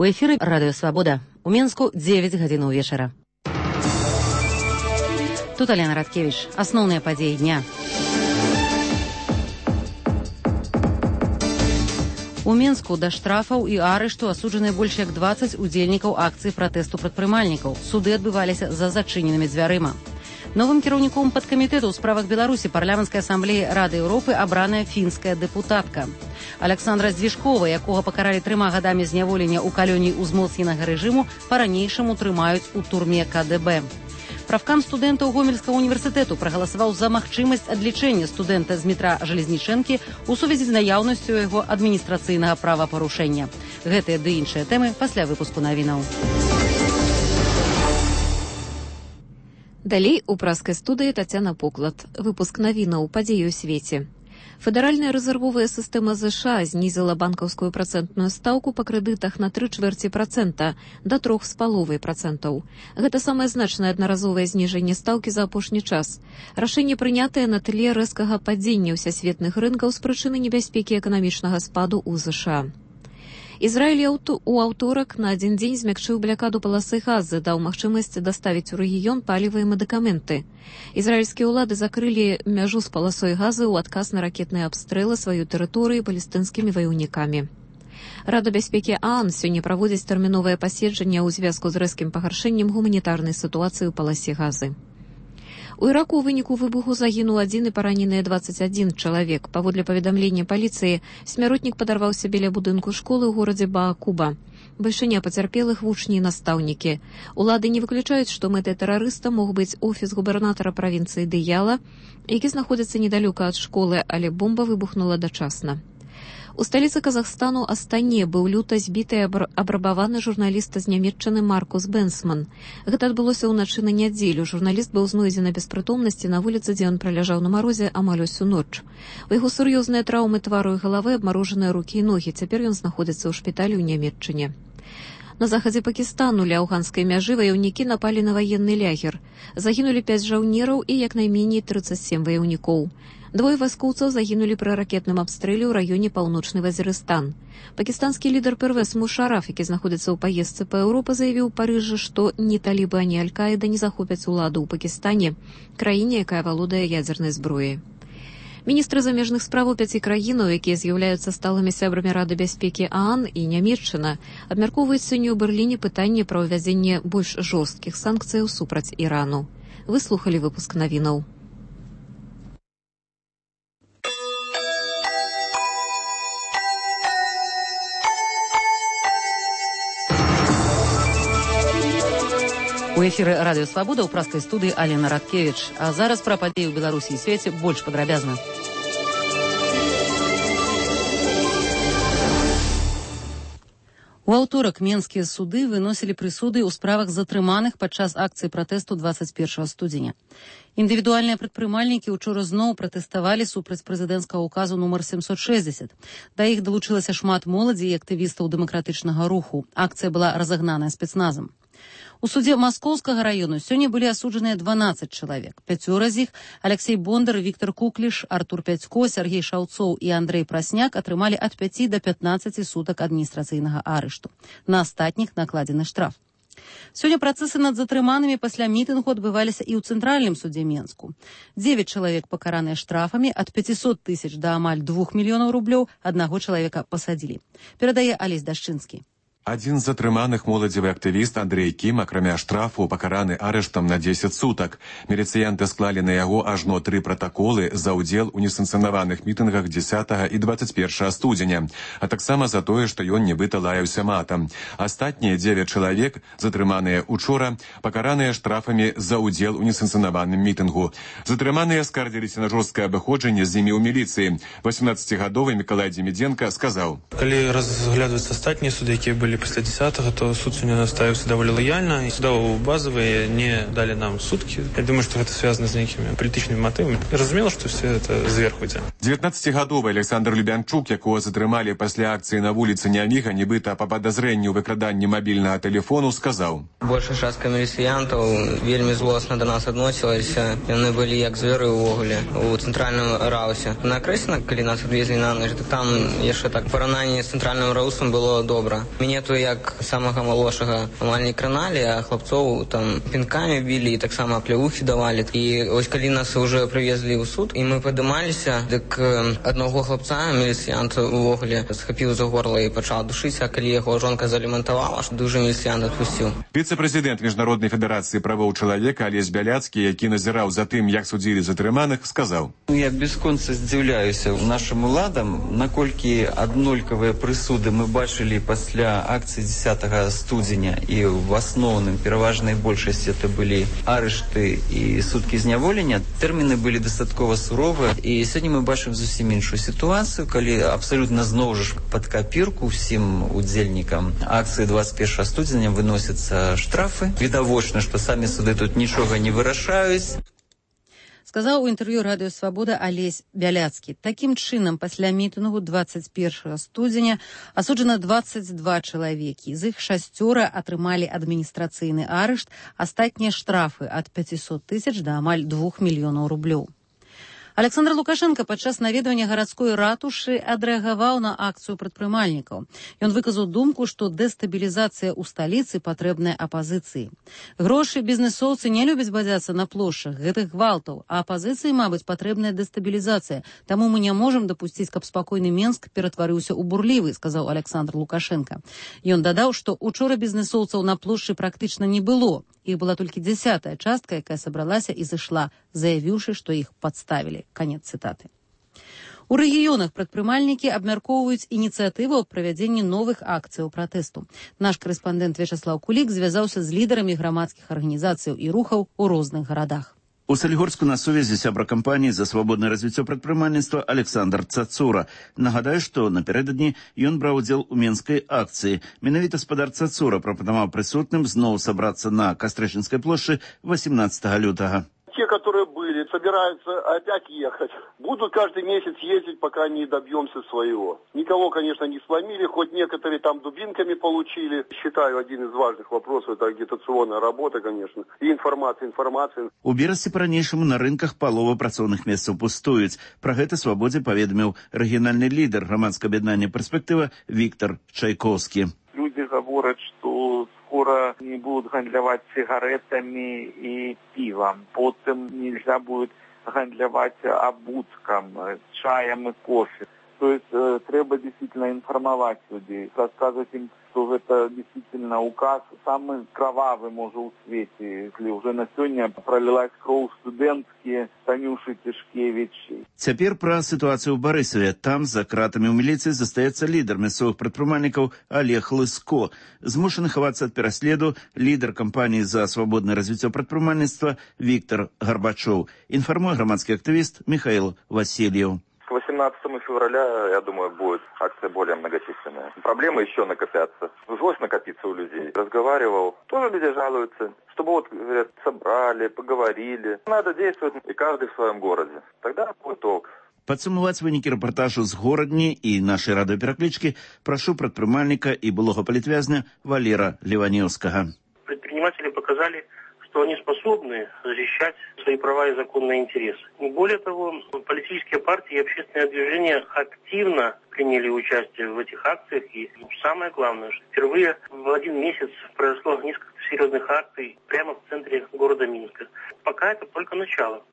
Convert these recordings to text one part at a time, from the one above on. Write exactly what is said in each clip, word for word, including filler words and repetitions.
У эфіры Радыё Свабода. У Менску дзевяць гадзінаў вечара. Тут Алена Радкевич. Асноўныя падзеі дня. У Менску да штрафаў і арышту асуджаныя больш як дваццаць удзельнікаў акцыі пратэсту прадпрымальнікаў. Суды адбываліся за зачыненымі дзвярыма. Новым кіраўніком падкамітэту ў справах Беларусі парламенцкай асамблеі Рады Еўропы абраная фінская дэпутатка. Александра Здзішкова, якога пакаралі трыма гадамі зняволення ў калоніі ўзмоцненага рэжыму, па-ранейшаму трымаюць у турме ка дэ бэ. Правкам студэнтаў Гомельскага універсітэту прагаласаваў за магчымасць адлічэння студэнта з метра Жалезнічэнкі ў сувязі з наяўнасцю яго адміністрацыйнага правапарушэння. Гэтыя ды іншыя тэмы пасля выпуску навінаў. Далей у праскай студыі Тацяна Поклад. Выпуск навінаў падзеі ў свеце. Федэральная рэзервовая сістэма ЗША знізіла банкаўскую працэнтную стаўку па крэдытах на тры чвэрці працэнта да трох з паловай працэнтаў. Гэта самае значнае аднаразовае зніжэнне стаўкі за апошні час. Рашэнне прынятае на тле рэзкага падзення ўсясветных рынкаў з прычыны небяспекі эканамічнага спаду ў ЗША. Ізраіль у аўторак на адзін дзень змякчыў блякаду паласы газы, даў магчымасць даставіць у рэгіён паліва і медыкаменты. Ізраільскія ўлады закрылі мяжу з паласой газы ў адказ на ракетныя абстрэлы сваёй тэрыторыі палестынскімі ваяўнікамі. Рада бяспекі ААН сёння праводзіць тэрміновае паседжанне ў звязку з рэзкім пагаршэннем гуманітарнай сітуацыі ў паласе газы. У Іраку ў выніку выбуху загінуў адзін і параненыя дваццаць адзін чалавек. Паводле паведамлення паліцыі, смяротнік падарваўся біля будынку школы ў горадзе Баакуба. Бальшыня пацярпелых вучні і настаўнікі. Улады не выключаюць, што мэтай тэрарыста мог быць офіс губернатара правінцыі Дыяла, які знаходзіцца недалёка ад школы, але бомба выбухнула дачасна. У сталіцы Казахстану Астане быў люта збіты і абрабаваны журналіста з Нямецчыны Маркус Бенсман. Гэта адбылося ўначы на нядзелю. Журналіст быў знойдзены без прытомнасці на вуліцы, дзе ён праляжаў на марозе амаль усю ноч. У яго сур'ёзныя траўмы твару і галавы, абмарожаныя рукі і ногі. Цяпер ён знаходзіцца ў шпіталі ў Нямецчыне. На захадзе Пакістану ля афганскай мяжы ваяўнікі напалі на ваенны лягер. Загінулі пяць жаўнераў і як найменей трыццаць сем ваяўнікоў. Двое вайскоўцаў загінулі пры ракетным абстрэле ў раёне паўночны Вазірыстан. Пакістанскі лідар Первез Мушараф, які знаходзіцца ў паездцы па Еўропе, заявіў у Парыжы, што ні талібы, ані Аль-Каіда не захопяць уладу ў Пакістане, краіне, якая валодае ядзернай зброяй. Міністры замежных справаў пяці краінаў, якія з'яўляюцца сталымі сябрамі Рады бяспекі ААН і Нямецчына, абмяркоўваюць сёння ў Берліне пытанне пра ўвядзенне больш жорсткіх санкцыяў супраць Ірану. Вы слухалі выпуск навінаў. У эфіры Радыё Свабода ў праскай студыі Алена Радкевич. А зараз пра падзеі ў Беларусі і свеце больш падрабязна. У аўторак менскія суды выносілі прысуды ў справах затрыманых падчас акцыі пратэсту дваццаць першага студзеня. Індывідуальныя прадпрымальнікі ўчора зноў пратэставалі супраць прэзідэнцкага ўказу нумар сямсот шэсцьдзесят. Да іх далучылася шмат моладзі і актывістаў дэмакратычнага руху. Акцыя была разагнаная спецназам. У судзе Маскоўскага раёну сёння былі асуджаныя дванаццаць чалавек. Пяцёра з іх – Алексей Бондар, Віктор Кукліш, Артур Пядзько, Сергей Шаўцоў і Андрэй Прасняк – атрымалі ад пяці да пятнаццаці сутак адміністрацыйнага арышту. На астатніх накладзены штраф. Сёння працэсы над затрыманымі пасля мітынгу адбываліся і ў цэнтральным судзе Менску. Дзевяць чалавек пакараныя штрафамі ад пяцісот тысяч да амаль двух мільёнаў рублёў, аднаго чалавека пасадзілі. Перадае Алесь Дашчынскі. Адзін з затрыманых моладзевы актывіст Андрэй Кім, акрамя штрафу, пакараны арыштам на дзесяць сутак. Міліцыянты склалі на яго ажно тры пратаколы за ўдзел у несанкцыянаваных мітынгах дзесятага і дваццаць першага студзеня, а таксама за тое, што ён нібыта лаяўся матам. Астатнія дзевяць чалавек, затрыманыя учора, пакараныя штрафамі за ўдзел у несанкцыянаваным мітынгу. Затрыманыя скардзіліся на жорсткае абыходжанне з імі ў міліцыі. васемнаццацігадовы Мікалай Дземідзенка сказаў: Калі разглядваюцца астатнія суды, якія былі пасля дзесятага, то суд сёння наставіўся даволі лаяльна, і судовыя базавыя не далі нам суткі. Я думаю, што гэта звязана з нейкімі палітычнымі матывамі. Разумела, што все это зверху ідзе. дзевятнаццацігадовы Александр Любянчук, якого затрымалі пасля акцыі на вуліцы Няміга, нібыта па падазрэнню ў выкраданні мабільнага тэлефону, сказаў: Большая частка міліцыянтаў вельмі злосна да нас адносілася. Яны былі як зверы ўвогуле у цэнтральным раусе. На Крэсіна, калі нас адвезлі на ноч, то там яшчэ так параўнанне з цэнтральным раусам было добра. Мяне памятаю, як самага малодшага амаль не краналі, а хлапцоў там пінкамі білі і таксама плявухі давалі. І ось калі нас уже прывезлі ў суд, і мы падымаліся, дык аднаго хлапца, міліцыянт увогуле схапіў за горла і пачаў душыць, а калі яго жонка залемантавала, што дужа міліцыянт адпусціў. Віцэ-прэзідэнт Міжнароднай федэрацыі правоў чалавека Алесь Бяляцкі, які назіраў за тым, як судзілі затрыманых, сказаў: Я бясконца здзіўляюся нашым уладам, наколькі аднолькавыя прысуды мы бачылі пасля акцыі дзесятага студзеня, і в асноўным пераважнай большасці это былі арышты і суткі зняволення. Тэрміны былі дастаткова суровыя, і сёння мы бачым зусім іншую сітуацыю, калі абсалютна зноў жа пад капірку ўсім удзельнікам акцыі двадцать первого студзеня выносяцца штрафы. Відавочна, што самі суды тут нічога не вырашаюць. Сказаў у інтэрв'ю радыё «Свабода» Алесь Бяляцкі. Такім чынам, пасля мітынгу двадцать первого студзеня асуджана двадцать два чалавекі. З іх шасцёра атрымалі адміністрацыйны арышт, астатнія штрафы ад пятьсот тысяч да амаль двух мільёнаў рублёў. Александр Лукашенко падчас наведвання гарадской ратушы адрэагаваў на акцыю прадпрымальнікаў. Ён выказаў думку, што дэстабілізацыя ў сталіцы патрэбная апазіцыі. Грошы бізнесоўцы не любяць бадзяцца на плошчах гэтых гвалтаў, а апазіцыі, мабыць, патрэбная дэстабілізацыя. Таму мы не можам дапусціць, каб спакойны Менск ператварыўся ў бурлівы, сказаў Александр Лукашенко. Ён дадаў, што учора бізнесоўцаў на плошчы практычна не было. Іх была толькі дзясятая частка, якая сабралася і зышла, заявіўшы, што іх падставілі. Канец цытаты. У рэгіёнах прадпрымальнікі абмяркоўваюць ініцыятыву аб правядзенні новых акцыяў пратэсту. Наш корэспандэнт Вячаслаў Кулік звязаўся з лідарамі грамадскіх арганізацыяў і рухаў у розных гарадах. У Салігорску на сувязі сябра кампаніі за свабоднае развіццё прадпрымальніцтва Александр Цацура. Нагадаю, што напярэдадні ён браў удзел у менскай акцыі. Менавіта спадар Цацура прапанаваў прысутным зноў сабрацца на Кастрэчынскай плошчы восемнадцатого лютага. Те, которые были, собираются опять ехать. Будут каждый месяц ездить, пока не добьемся своего. Никого, конечно, не сломили, хоть некоторые там дубинками получили. Считаю, один из важных вопросов – это агитационная работа, конечно, и информация, информация. У Берасці па-ранейшаму на рынках палова працоўных месцаў пустуюць. Пра гэта «Свабодзе» паведаміў рэгіянальны лідар грамадскага аб'яднання «Перспектыва» Віктор Чайковскі. Люди говорят, что скоро не будут гандлявать сигаретами и пивом. Потом нельзя будет гандлявать обутком, чаем и кофе. То есть э, треба действительно информовать людей, рассказывать им, что это действительно указ самый кровавый, может, у свете, если уже на сегодня пролилась кровь студэнткі Танюши Тишкевич. Цяпер пра сітуацыю ў Барысаве. Там за кратамі ў міліцыі застаецца лідар мясцовых прадпрымальнікаў Олег Лыско. Змушаны хавацца ад пераследу лідар кампаніі за свабоднае развіццё прадпрымальніцтва Віктор Гарбачоў. Інфармуе грамадскі актывіст Михаил Васильев. К восемнадцатому февраля, я думаю, будет акция более многочисленная. Проблемы еще накопятся. Злость накопится у людей. Разговаривал, тоже люди жалуются, чтобы вот, говорят, собрали, поговорили. Надо действовать, и каждый в своем городе. Тогда будет толк. Падсумаваць вынікі рэпартажу з горадні і нашай радыёпераклічкі прашу прадпрымальніка і былога палітвязня Валера Леванеўскага. Предприниматели показали, что они способны защищать свои права и законные интересы. Более того, политические партии и общественные движения активно приняли участие в этих акциях. И самое главное, что впервые в один месяц произошло несколько серьезных акций прямо в центре города Минска. Пока это только начало.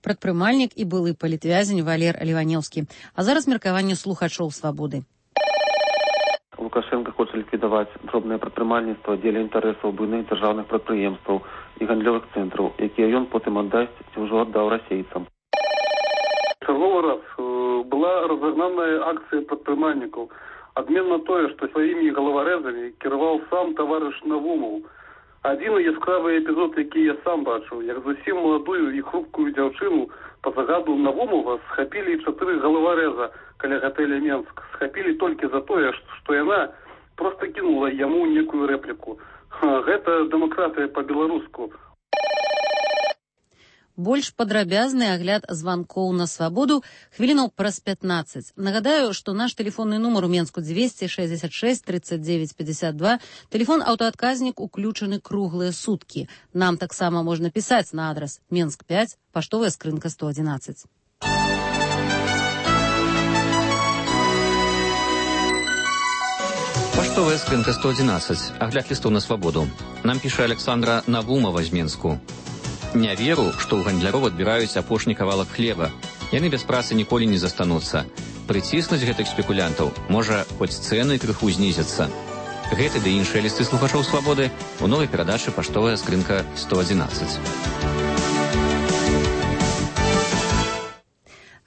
Прадпрымальнік і былы палітвязень Валер Леванеўскі. А зараз меркаванне слухачоў «Свабоды». Лукашенко хоче ліквідувати дробне прадпрымальніцтва дзеля інтарэсаў буйных дзяржаўных прадпрыемстваў і гандлёвых цэнтраў, якія ён потым аддасць ці ўжо аддаў расейцам. Черговый раз э, была разогнанная акция предпринимальников. Обмен на то, что своими головорезами кировал сам товарищ Навумов. Один яскравый эпизод, який я сам бачив, як зовсім молодую і хрупкую дівчину по загаду Навумова схапили чотири головореза каля готеля Менск. Схапили тільки за то, що вона просто кинула йому некую репліку. Гэта дэмакратыя по-беларуску. Больш падрабязны агляд званкоў на свабоду хвілінаў праз пятнаццаць. Нагадаю, што наш тэлефонны нумар у Менску двести шестьдесят шесть тридцать девять пятьдесят два. Тэлефон аўтаадказнік уключаны круглыя суткі. Нам таксама можна пісаць на адрас Менск пять, паштовая скрынка сто одиннадцать. Паштовая Паштовая скринка сто одиннадцать. Огляд листов на свободу. Нам пише Александра Навумова з Менску. Не веру, што ў гандляроў адбіраюць апошні кавалак хлеба. Яны без працы ніколі не застануцца. Прыціснуць гэтых спекулянтаў, можа, хоць цэны крыху знізяцца. Гэты ды іншыя лісты слухачоў свабоды у новай перадачы «Паштовая скринка сто одиннадцать».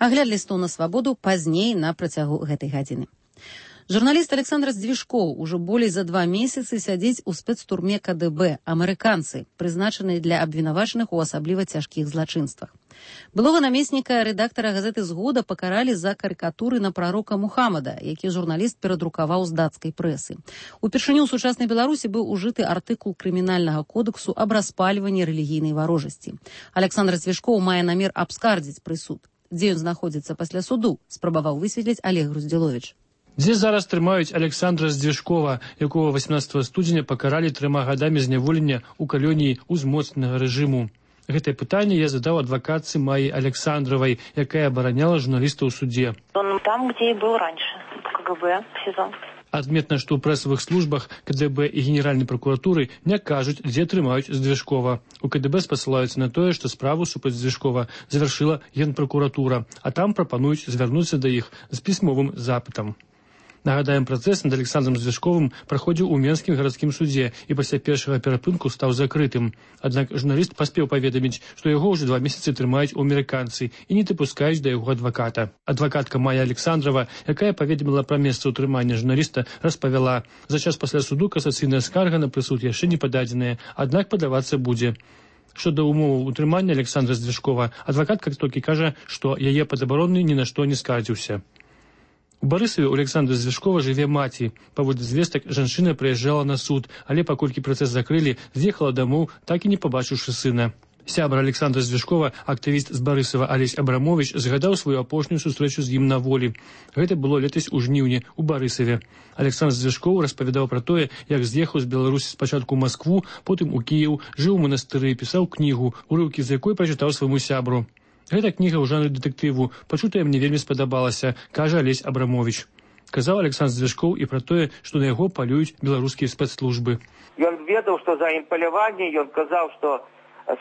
Агляд лістоў на свабоду пазней на працягу гэтай гадзіны. Журналіст Александр Здвижкоў ужо болей за два месяцы сядзіць у спецтурме ка дэ бэ, амерыканцы, прызначаныя для абвінавачаных у асабліва цяжкіх злачынствах. Былога намесніка рэдактара газеты «Згода» пакаралі за карыкатуры на прарока Мухаммада, які журналіст перадрукаваў з дацкай прэсы. Упершыню ў сучаснай Беларусі быў ужыты артыкул крымінальнага кодексу аб распальванні рэлігійнай варожасці. Александр Здвижкоў мае намер абскардзіць прысуд. Дзе ён знаходзіцца пасля суду, спрабаваў высветліць Олег Груздзіловіч. Дзе зараз трымаюць Александра Здвижкова, якого восемнадцатого студзеня пакаралі трыма гадамі зняволення ў калоніі ўзмоцненага рэжыму. Гэтае пытанне я задаў адвакатцы Майі Александровай, якая абараняла журналіста ў суде. Он там, где и был раньше, в ка гэ бэ, в СИЗО. Адметна, што ў прэсавых службах ка дэ бэ і Генеральнай прокуратуры не кажуць, дзе трымаюць Здвижкова. У ка дэ бэ спасылаюцца на тое, што справу супраць Здвижкова завяршыла Генпракуратура, а там прапануюць звярнуцца да іх з пісьмовым запытам. Нагадаем, працэс над Александром Здвижковым праходзіў у Менскім гарадскім судзе і пасля першага перапынку стаў закрытым. Аднак журналіст паспеў паведаміць, што яго ўжо два месяцы трымаюць у амерыканцы і не дапускаюць да яго адваката. Адвакатка Майя Александрова, якая паведаміла пра месца ўтрымання журналіста, распавяла: за час пасля суду касацыйная скарга на прысуд яшчэ не пададзеная, аднак падавацца будзе. Што да умоваў утрымання Александра Здвижкова, адвакатка толькі кажа, што яе падабаронны ні на што не скардзіўся. У Барысаве у Александра Здвижкова жыве маці. Паводле звестак, жанчына прыязджала на суд, але паколькі працэс закрылі, з'ехала дамоў, так і не пабачыўшы сына. Сябра Александра Здвижкова, актывіст з Барысава Алесь Абрамович, згадаў сваю апошнюю сустрэчу з ім на волі. Гэта было летась у жніўні у Барысаве. Александр Здвижков распавядаў пра тое, як з'ехаў з Беларусі спачатку ў Маскву, потым у Кіеў, жыў у манастыры, пісаў кнігу, урыўкі з якой прачытаў свайму сябру. Гэта кніга ў жанры дэтэктыву. Пачутая мне вельмі спадабалася, кажа Алесь Абрамович. Казаў Александр Здвижков і пра тое, што на яго палююць беларускія спецслужбы. Ён ведаў, што за ім паляванне, ён казаў, што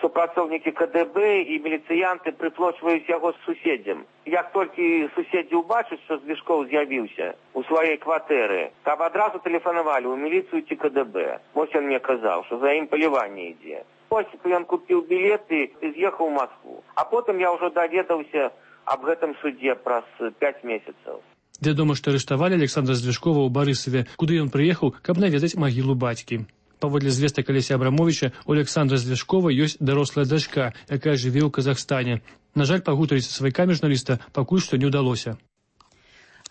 супрацоўнікі ка дэ бэ і міліцыянты прыплочваюць яго з суседзям. Як толькі суседзі ўбачаць, што Здвижков з'явіўся у сваёй кватэры, каб адразу тэлефанавалі ў міліцыю ці ка дэ бэ. Вось ён мне казаў, што за ім паляванне ідзе. Ён купіў білеты і з'ехаў у Москву. А потым я ўжо даведаўся аб гэтым судзе праз пяць месяцаў. Вядома, што арыштавалі Александра Здвижкова ў Барысаве, куды ён прыехаў, каб наведаць магілу бацькі. Паводле звестак Алеся Абрамовича, у Александра Здвижкова ёсць дарослая дачка, якая жыве ў Казахстане. На жаль, пагутарыць са сваякамі журналіста пакуль што не ўдалося.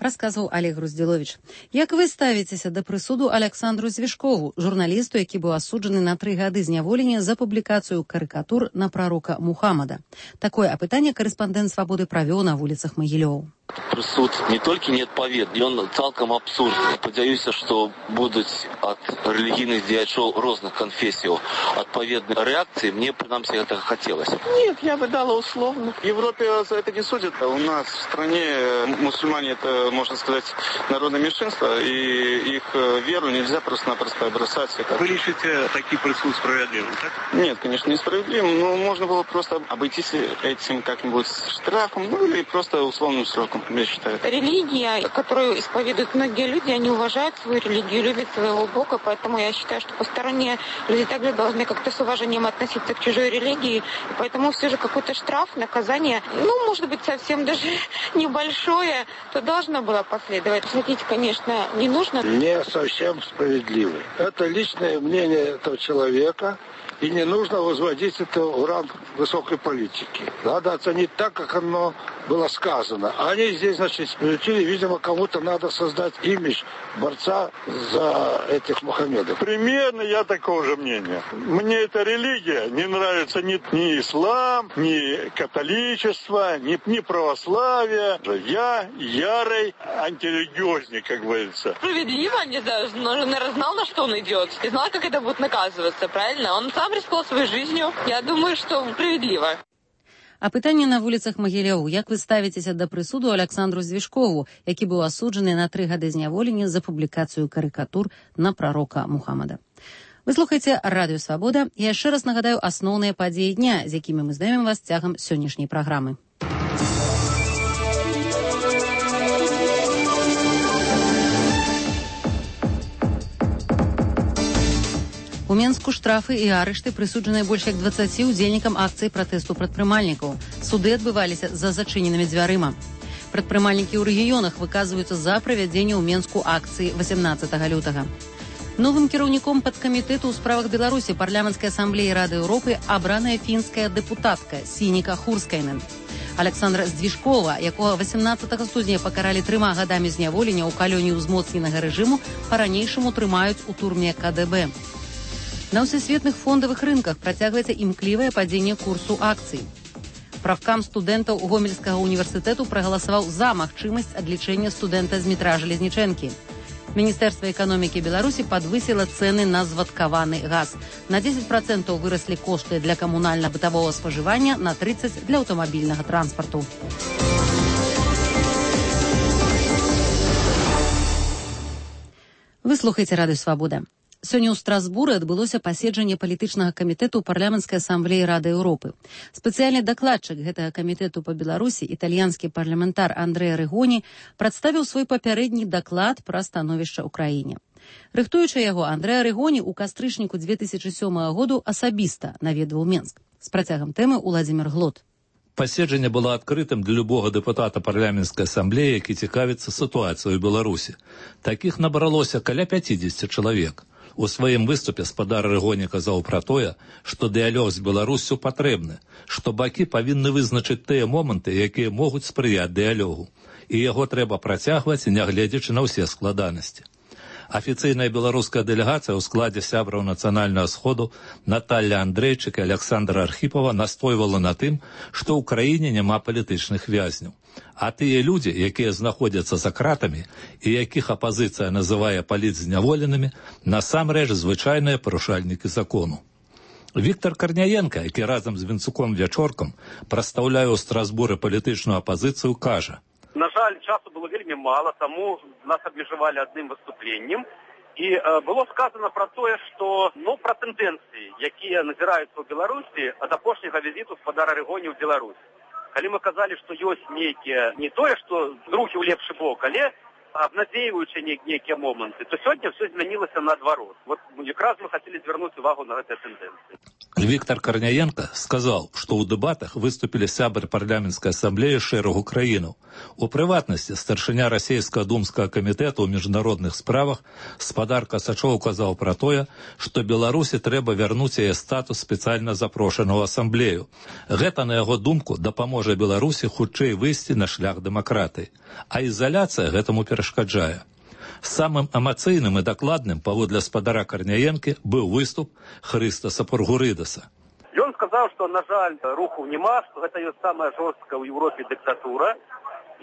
Расказваў Олег Груздзіловіч. Як вы ставіцеся да прысуду Александру Здвижкову, журналісту, які быў асуджаны на тры гады зняволення за публікацыю карыкатур на прарока Мухаммада? Такое апытанне корэспандэнт «Свабоды» правёў на вуліцах Магілёў. Прысуд не толькі неадпаведны, ён цалкам абсурдны. Спадзяюся, што будуць ад рэлігійных дзеячоў розных канфесіяў адпаведныя рэакцыі. Мне, прынамсі, гэтага хацелася. Нет, я бы дала условно. В Европе за это не судят. У нас в стране мусульмане это, можно сказать, народное меньшинство, и их веру нельзя просто-напросто бросать. Вы решите такие присуд справедливым, так? Нет, конечно, несправедливым. Но можно было просто обойтись этим как-нибудь штрафом, ну или просто условным сроком. Я считаю. Религия, которую исповедуют многие люди, они уважают свою религию, любят своего Бога, поэтому я считаю, что посторонние люди также должны как-то с уважением относиться к чужой религии, и поэтому все же какой-то штраф, наказание, ну, может быть, совсем даже небольшое, то должно было последовать. Судить, конечно, не нужно. Не совсем справедливый. Это личное мнение этого человека, и не нужно возводить это в ранг высокой политики. Надо оценить так, как оно было сказано. Они здесь, значит, спилютили, видимо, кому-то надо создать имидж борца за этих Мухаммедов. Примерно я такого же мнения. Мне эта религия не нравится ни, ни ислам, ни католичество, ни, ни православие. Я ярый антирелигиозник, как говорится. Справедливо, не знаю, он, наверное, знал, на что он идет, и знал, как это будет наказываться, правильно? Он сам рисковал своей жизнью. Я думаю, что справедливо. Апытанне на вуліцах Магіляў. Як вы ставіцеся да прысуду Александру Звішкову, які быў асуджаны на тры гады зняволення за публікацыю карыкатур на прарока Мухаммада? Вы слухаеце Радыё Свабода. Я яшчэ раз нагадаю асноўныя падзеі дня, з якімі мы знаёмім вас цягам сённяшняй праграмы. У Менску штрафы і арышты прысуджаныя больш як дваццаці удзельнікам акцыі пратэсту прадпрымальнікаў. Суды адбываліся за зачыненымі дзвярыма. Прадпрымальнікі ў рэгіёнах выказваюцца за правядзенне ў Менску акцыі васемнаццатага лютага. Новым кіраўніком падкамітэту ў справах Беларусі парламенцкай асамблеі Рады Еўропы абраная фінская дэпутатка Сініка Хурскайнен. Александра Звішкова, якога васемнаццатага студзеня пакаралі трыма гадамі зняволення ў калоніі ўзмоцненага рэжыму, па-ранейшаму трымаюць у турме ка дэ бэ. На ўсесветных фондавых рынках працягваецца імклівае падзенне курсу акцый. Правкам студэнтаў Гомельскага універсітэту прагаласаваў за магчымасць адлічэння студэнта з метра Жалезнічэнкі. Міністэрства эканомікі Беларусі падвысіла цэны на звадкаваны газ. На дзесяць працэнтаў выраслі кошты для камунальна-бытавога спажывання, на трыццаць для аўтамабільнага транспарту. Вы слухаеце Радыё Свабода. Сёння ў Страсбуры адбылося паседжанне палітычнага камітэту парламенцкай асамблеі Рады Еўропы. Спецыяльны дакладчык гэтага камітэту па Беларусі, італьянскі парламентар Андрэа Рэгоні, прадставіў свой папярэдні даклад пра становішча ў краіне. Рыхтуючы яго, Андрэа Рэгоні ў кастрычніку дзве тысячы сёмага году асабіста наведваў Менск. З працягам тэмы Уладзімір Глот. Паседжанне было адкрытым для любога дэпутата парламенцкай асамблеі, які цікавіцца сітуацыяй у Беларусі. Такіх набралося каля пяцідзесяці чалавек. У сваім выступе спадар Рэгоні казаў пра тое, што дыялог з Беларуссю патрэбны, што бакі павінны вызначыць тыя моманты, якія могуць спрыяць дыялогу, і яго трэба працягваць, нягледзячы на ўсе складанасці. Афіцыйная беларуская дэлегацыя ў складзе сябраў нацыянальнага сходу Наталля Андрэйчык і Александра Архіпова настойвала на тым, што ў краіне няма палітычных вязняў. А тыя людзі, якія знаходзяцца за кратамі і якіх апазіцыя называе палітзняволенымі, насамрэч звычайныя парушальнікі закону. Віктор Карняенка, які разам з Вінцуком Вячоркам прадстаўляе ў Страсбуры палітычную апазіцыю, кажа: На жаль, часу было вельмі мала, таму нас абмежавалі адным выступленнем. І э, было сказано про тое, што ну, пра тэндэнцыі, якія назіраюцца ў Беларусі ад апошняга візіту спадара Рэгоні ў Беларусь. Калі мы казалі, што ёсць нейкія, не тое, што рухі ў лепшы бок, але абнадзейваючы нейкія моманты, то сёння ўсё змянілася наадварот. Вот якраз мы хацелі звярнуць увагу на гэтыя тэндэнцыі. Віктор Карняенка сказаў, што ў дэбатах выступілі сябры парламенцкай асамблеі шэрагу краінаў. У прыватнасці старшыня расійскага думскага камітэту ў міжнародных справах спадар Касачоў казаў пра тое, што Беларусі трэба вярнуць яе статус спецыяльна запрошанага ў асамблею. Гэта, на яго думку, дапаможа Беларусі хутчэй выйсці на шлях дэмакратыі, а ізаляцыя гэтаму перашкаджае. Самым эмацыйным і дакладным, паводле спадара Карняенкі, быў выступ Хрыстаса Пургурыдаса. Ён сказаў, што, на жаль, руху няма, што гэта ёсць самая жорсткая ў Еўропе дыктатура,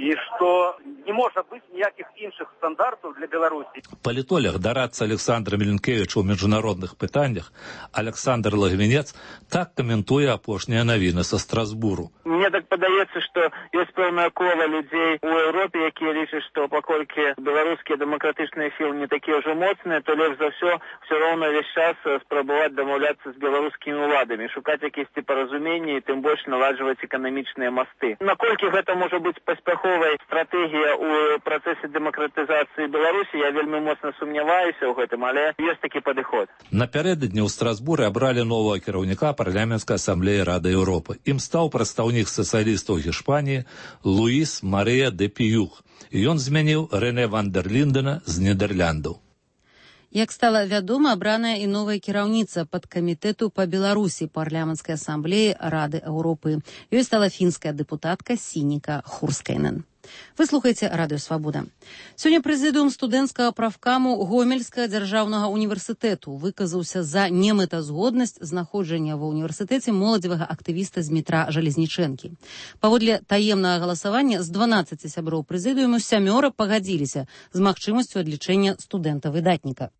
і што не можа быць ніякіх іншых стандартаў для Беларусі. Палітолог, дарадца Александра Міленкевіча ў міжнародных пытаннях Александр Лагвінец так каментуе апошнія навіны са Страсбуру. Мне так падаецца, што ёсць пэўная кола людзей у Еўропе, якія лічаць, што паколькі беларускія дэмакратычныя сілы не такія ўжо моцныя, то лепш за ўсё ўсё роўна ўвесь час спрабаваць дамаўляцца з беларускімі ўладамі, шукаць якісьці паразуменні і тым больш наладжваць эканамічныя масты. Наколькі гэта можа быць паспяховай стратэгія ў працэсе дэмакратызацыі Беларусі, я вельмі моцна сумняваюся ў гэтым, але ёсць такі падыход. Напярэдадні ў Страсбуры абралі новага кіраўніка парламенцкай асамблеі Рады Еўропы. Ім стаў прадстаўнік сацыялістаў Гішпаніі Луіс Марыя де Піюх. І ён змяніў Рэне ван дер Ліндена з Нідэрляндаў. Як стала вядома, абраная і новая кіраўніца падкамітэту па Беларусі парламенцкай асамблеі Рады Еўропы. Ёй стала фінская дэпутатка Сініка Хурскайнен. Вы слухаеце Радыё Свабода. Сёння прэзідыум студэнцкага правкаму Гомельскага дзяржаўнага універсітэту выказаўся за немэтазгоднасць знаходжання ва ўніверсітэце моладзевага актывіста з метра Жалезнічэнкі. Паводле таемнага галасавання з дванаццаці сяброў прэзідыуму сямёра пагадзіліся з магчымасцю адлічэння студэнта-выдатніка.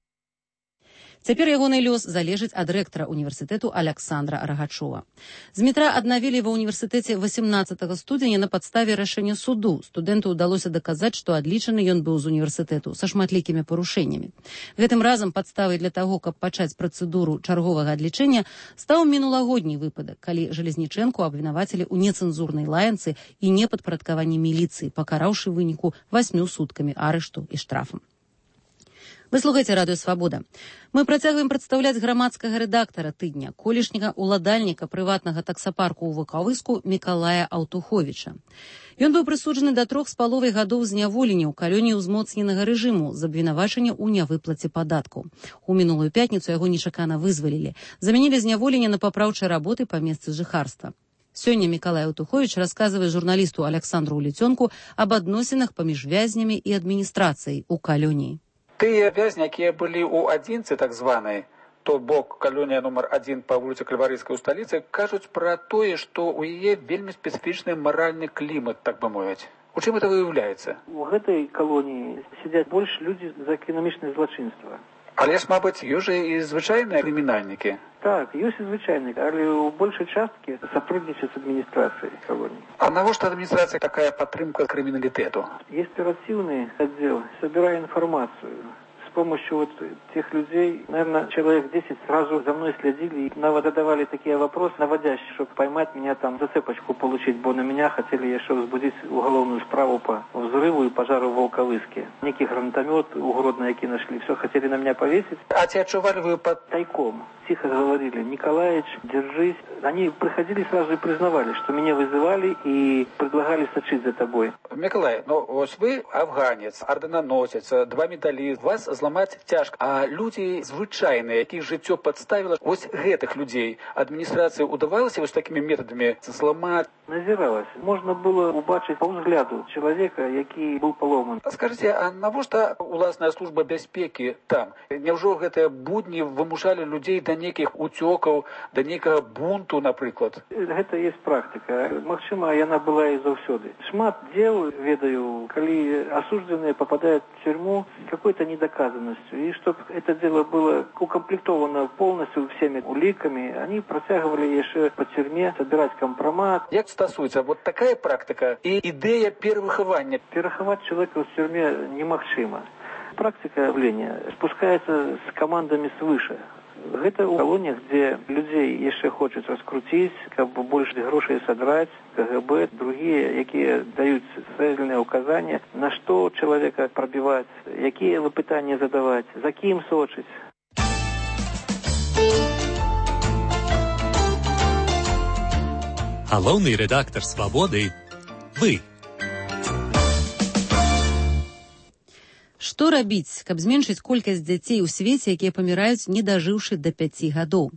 Цяпер ягоны лёс залежыць ад рэктара універсітэту Аляксандра Рагачова. Змітра аднавілі ва ўніверсітэце восемнадцатага студзеня на падставе рашэння суду. Студэнту ўдалося даказаць, што адлічаны ён быў з універсітэту са шматлікімі парушэннямі. Гэтым разам падставай для таго, каб пачаць працэдуру чарговага адлічэння, стаў мінулагодні выпадак, калі Жалезнічэнку абвінавацілі ў нецэнзурнай лаянцы і непадпарадкаванні міліцыі, пакараўшы выніку васьмю суткамі арышту і штрафам. Вы слухаеце радыё «Свабода». Мы працягваем прадстаўляць грамадскага рэдактара тыдня, колішняга ўладальніка прыватнага таксапарку ў Вакавыску Мікалая Аўтуховіча. Ён быў прысуджаны да трох з паловай гадоў зняволення ў калоніі ўзмоцненага рэжыму з абвінавачання ў нявыплаце падаткаў. У мінулую пятніцу яго нечакана вызвалілі. Замянілі зняволенне на папраўчай работы па месцы жыхарства. Сёння Мікалай Аўтуховіч расказвае журналісту Аляксандру Уліцёнку аб адносінах паміж вязнямі і адміністрацыяй у калоніі. Тыя вязні, якія былі ў адзінцы так званай, то бок калонія нумар адзін па вуліцы Кальварыйскай у сталіцы, кажуць пра тое, што ў яе вельмі спецыфічны маральны клімат, так бы мовіць. У чым это выяўляецца? У гэтай калоніі сядзяць больш людзі за эканамічнае злачынства. Але ж, мабыць, ёсць жа і звычайныя крымінальнікі. Так, ёсць і звычайныя, але ў большай часткі сапруднічаюць з адміністрацыяй калоніі. А навошта адміністрацыя такая падтрымка крыміналітэту? Есть оперативный отдел, собирая информацию. С помощью вот тех людей, наверное, человек десять сразу за мной следили и задавали такие вопросы наводящие, чтобы поймать меня там, зацепочку получить, бо на меня хотели еще возбудить уголовную справу по взрыву и пожару в Волковыске. Некий гранатомет угродный, який нашли, все хотели на меня повесить. А те отчували вы под тайком? Тихо говорили: Николаевич, держись. Они приходили сразу и признавали, что меня вызывали и предлагали сочить за тобой. Миколай, ну вот вы афганец, орденоносец, два медали, вас зламаць цяжка. А люди звычайныя, якіх жыццё падставіла, вось гэтых людей адміністрацыі удавалася вось такими методами зламаць? Назіралась. Можна было убачыць по взгляду человека, які быў паломан. Скажите, а навошта уласная служба бяспекі там? Няўжо гэтыя будні вымушалі людзей да нейкіх уцёкаў, да нейкага бунту, напрыклад? Гэта есть практыка. Магчыма, яна была і заўсёды. Шмат дел, ведаю, калі осужденные попадают в тюрьму с какой-то недоказанностью. И чтобы это дело было укомплектовано полностью всеми уликами, они протягивали еще по тюрьме собирать компромат. Як стасуецца вот такая практика и идея перавыхавання? Перахаваць человека в тюрьме немагчыма. Практика явления спускается с командами свыше. Гэта ў калоніях, дзе людзей яшчэ хочуць раскруціць, каб больш грошай садраць, КГБ, другія, якія даюць цэльныя указанні, на што чалавека прабіваць, якія выпытанні задаваць, за кім сочыць. Галоўны рэдактар «Свабоды» – вы. Што рабіць, каб зменшыць колькасць дзяцей у свеце, якія паміраюць, не дажыўшы да пяці гадоў?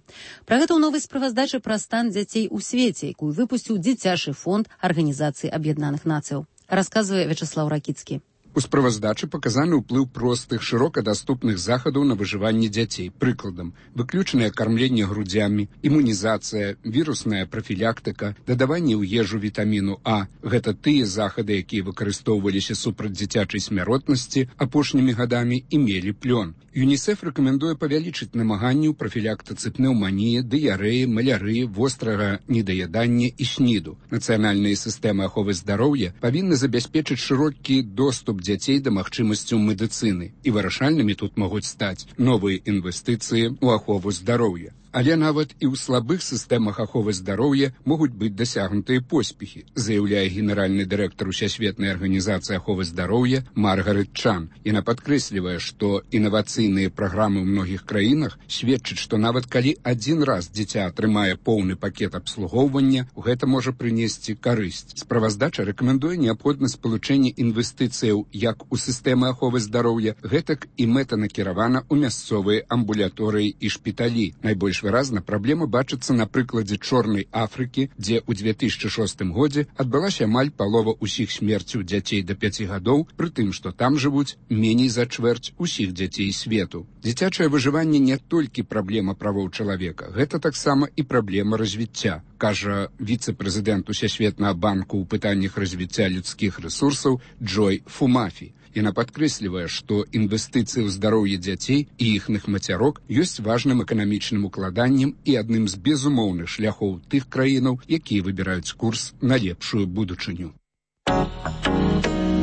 Пра гэта ў новай справаздачы пра стан дзяцей у свеце, якую выпусціў дзіцячы фонд Арганізацыі Аб'яднаных Нацыяў. Расказвае Вячаслаў Ракіцкі. У справаздачы паказаны ўплыў простых, шырока даступных захадаў на выжыванне дзяцей. Прыкладам, выключанае кармленне грудзямі, імунізацыя, вірусная прафілактыка, дадаванне ў ежу вітаміну А. Гэта тыя захады, якія выкарыстоўваліся супраць дзіцячай смяротнасці апошнімі гадамі і мелі плён. ЮНІСЕФ рэкамендуе павялічыць намаганні ў прафілактыцы пнеўманіі, дыярэі, малярыі, вострага недаядання і сніду. Нацыянальныя сістэмы аховы здароўя павінны забяспечыць шырокі доступ дзяцей да магчымасцяў медыцыны. І вырашальнымі тут могуць стаць новыя інвестыцыі ў ахову здароўя. Але нават і ў слабых сістэмах аховы здароўя могуць быць дасягнутыя поспехі, заяўляе генеральны дырэктар Усесветнай арганізацыі аховы здароўя Маргарет Чан. Яна падкрэслівае, што інавацыйныя праграмы ў многіх краінах сведчаць, што нават калі адзін раз дзіця атрымае поўны пакет абслугоўвання, гэта можа прынесці карысць. Справаздача рэкамендуе неабходнасць спалучэння інвестыцыяў як у сістэмы аховы здароўя, гэтак і мэтанакіравана ў мясцовыя амбулаторыі і шпіталі. Найбольш выразна праблема бачыцца на прыкладзе Чорнай Афрыкі, дзе ў две тысячы шостым годзе адбылася амаль палова ўсіх смерцяў дзяцей да пяці гадоў, пры тым, што там жывуць меней за чвэрць усіх дзяцей свету. Дзіцячае выжыванне не толькі праблема правоў чалавека, гэта таксама і праблема развіцця, кажа віцэ-прэзідэнт Усесветнага банку ў пытаннях развіцця людскіх рэсурсаў Джой Фумафі. Яна падкрэслівае, што інвестыцыі ў здароўе дзяцей і іхных мацярок ёсць важным эканамічным укладаннем і адным з безумоўных шляхоў тых краінаў, якія выбіраюць курс на лепшую будучыню.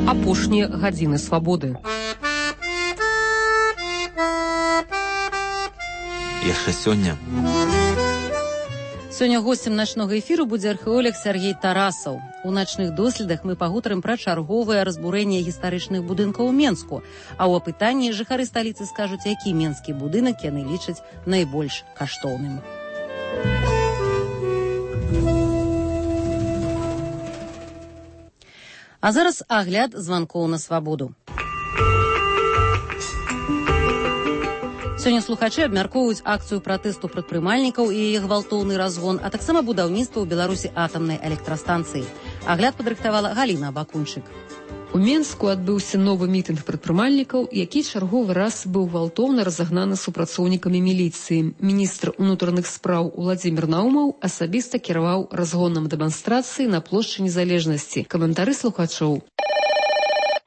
Апошнія гадзіны свабоды. Яшчэ сёння. Сёння госцем начнога эфіру будзе археолог Сергей Тарасаў. У начных доследах мы пагутарым пра чарговае разбурэнне гістарычных будынкаў у Менску, а ў апытанні жыхары сталіцы скажуць, які менскі будынак яны лічаць найбольш каштоўным. А зараз агляд званкоў на свабоду. Сёння слухачы абмяркоўваюць акцыю пратэсту прадпрымальнікаў і яе гвалтоўны разгон, а таксама будаўніцтва ў Беларусі атамнай электрастанцыі. Агляд падрыхтавала Галіна Бакунчык. У Менску адбыўся новы мітынг прадпрымальнікаў, які чарговы раз быў гвалтоўна разагнаны супрацоўнікамі міліцыі. Міністр унутраных спраў Уладзімір Наумаў асабіста кіраваў разгонам дэманстрацыі на плошчы Незалежнасці. Каментары слухачоў.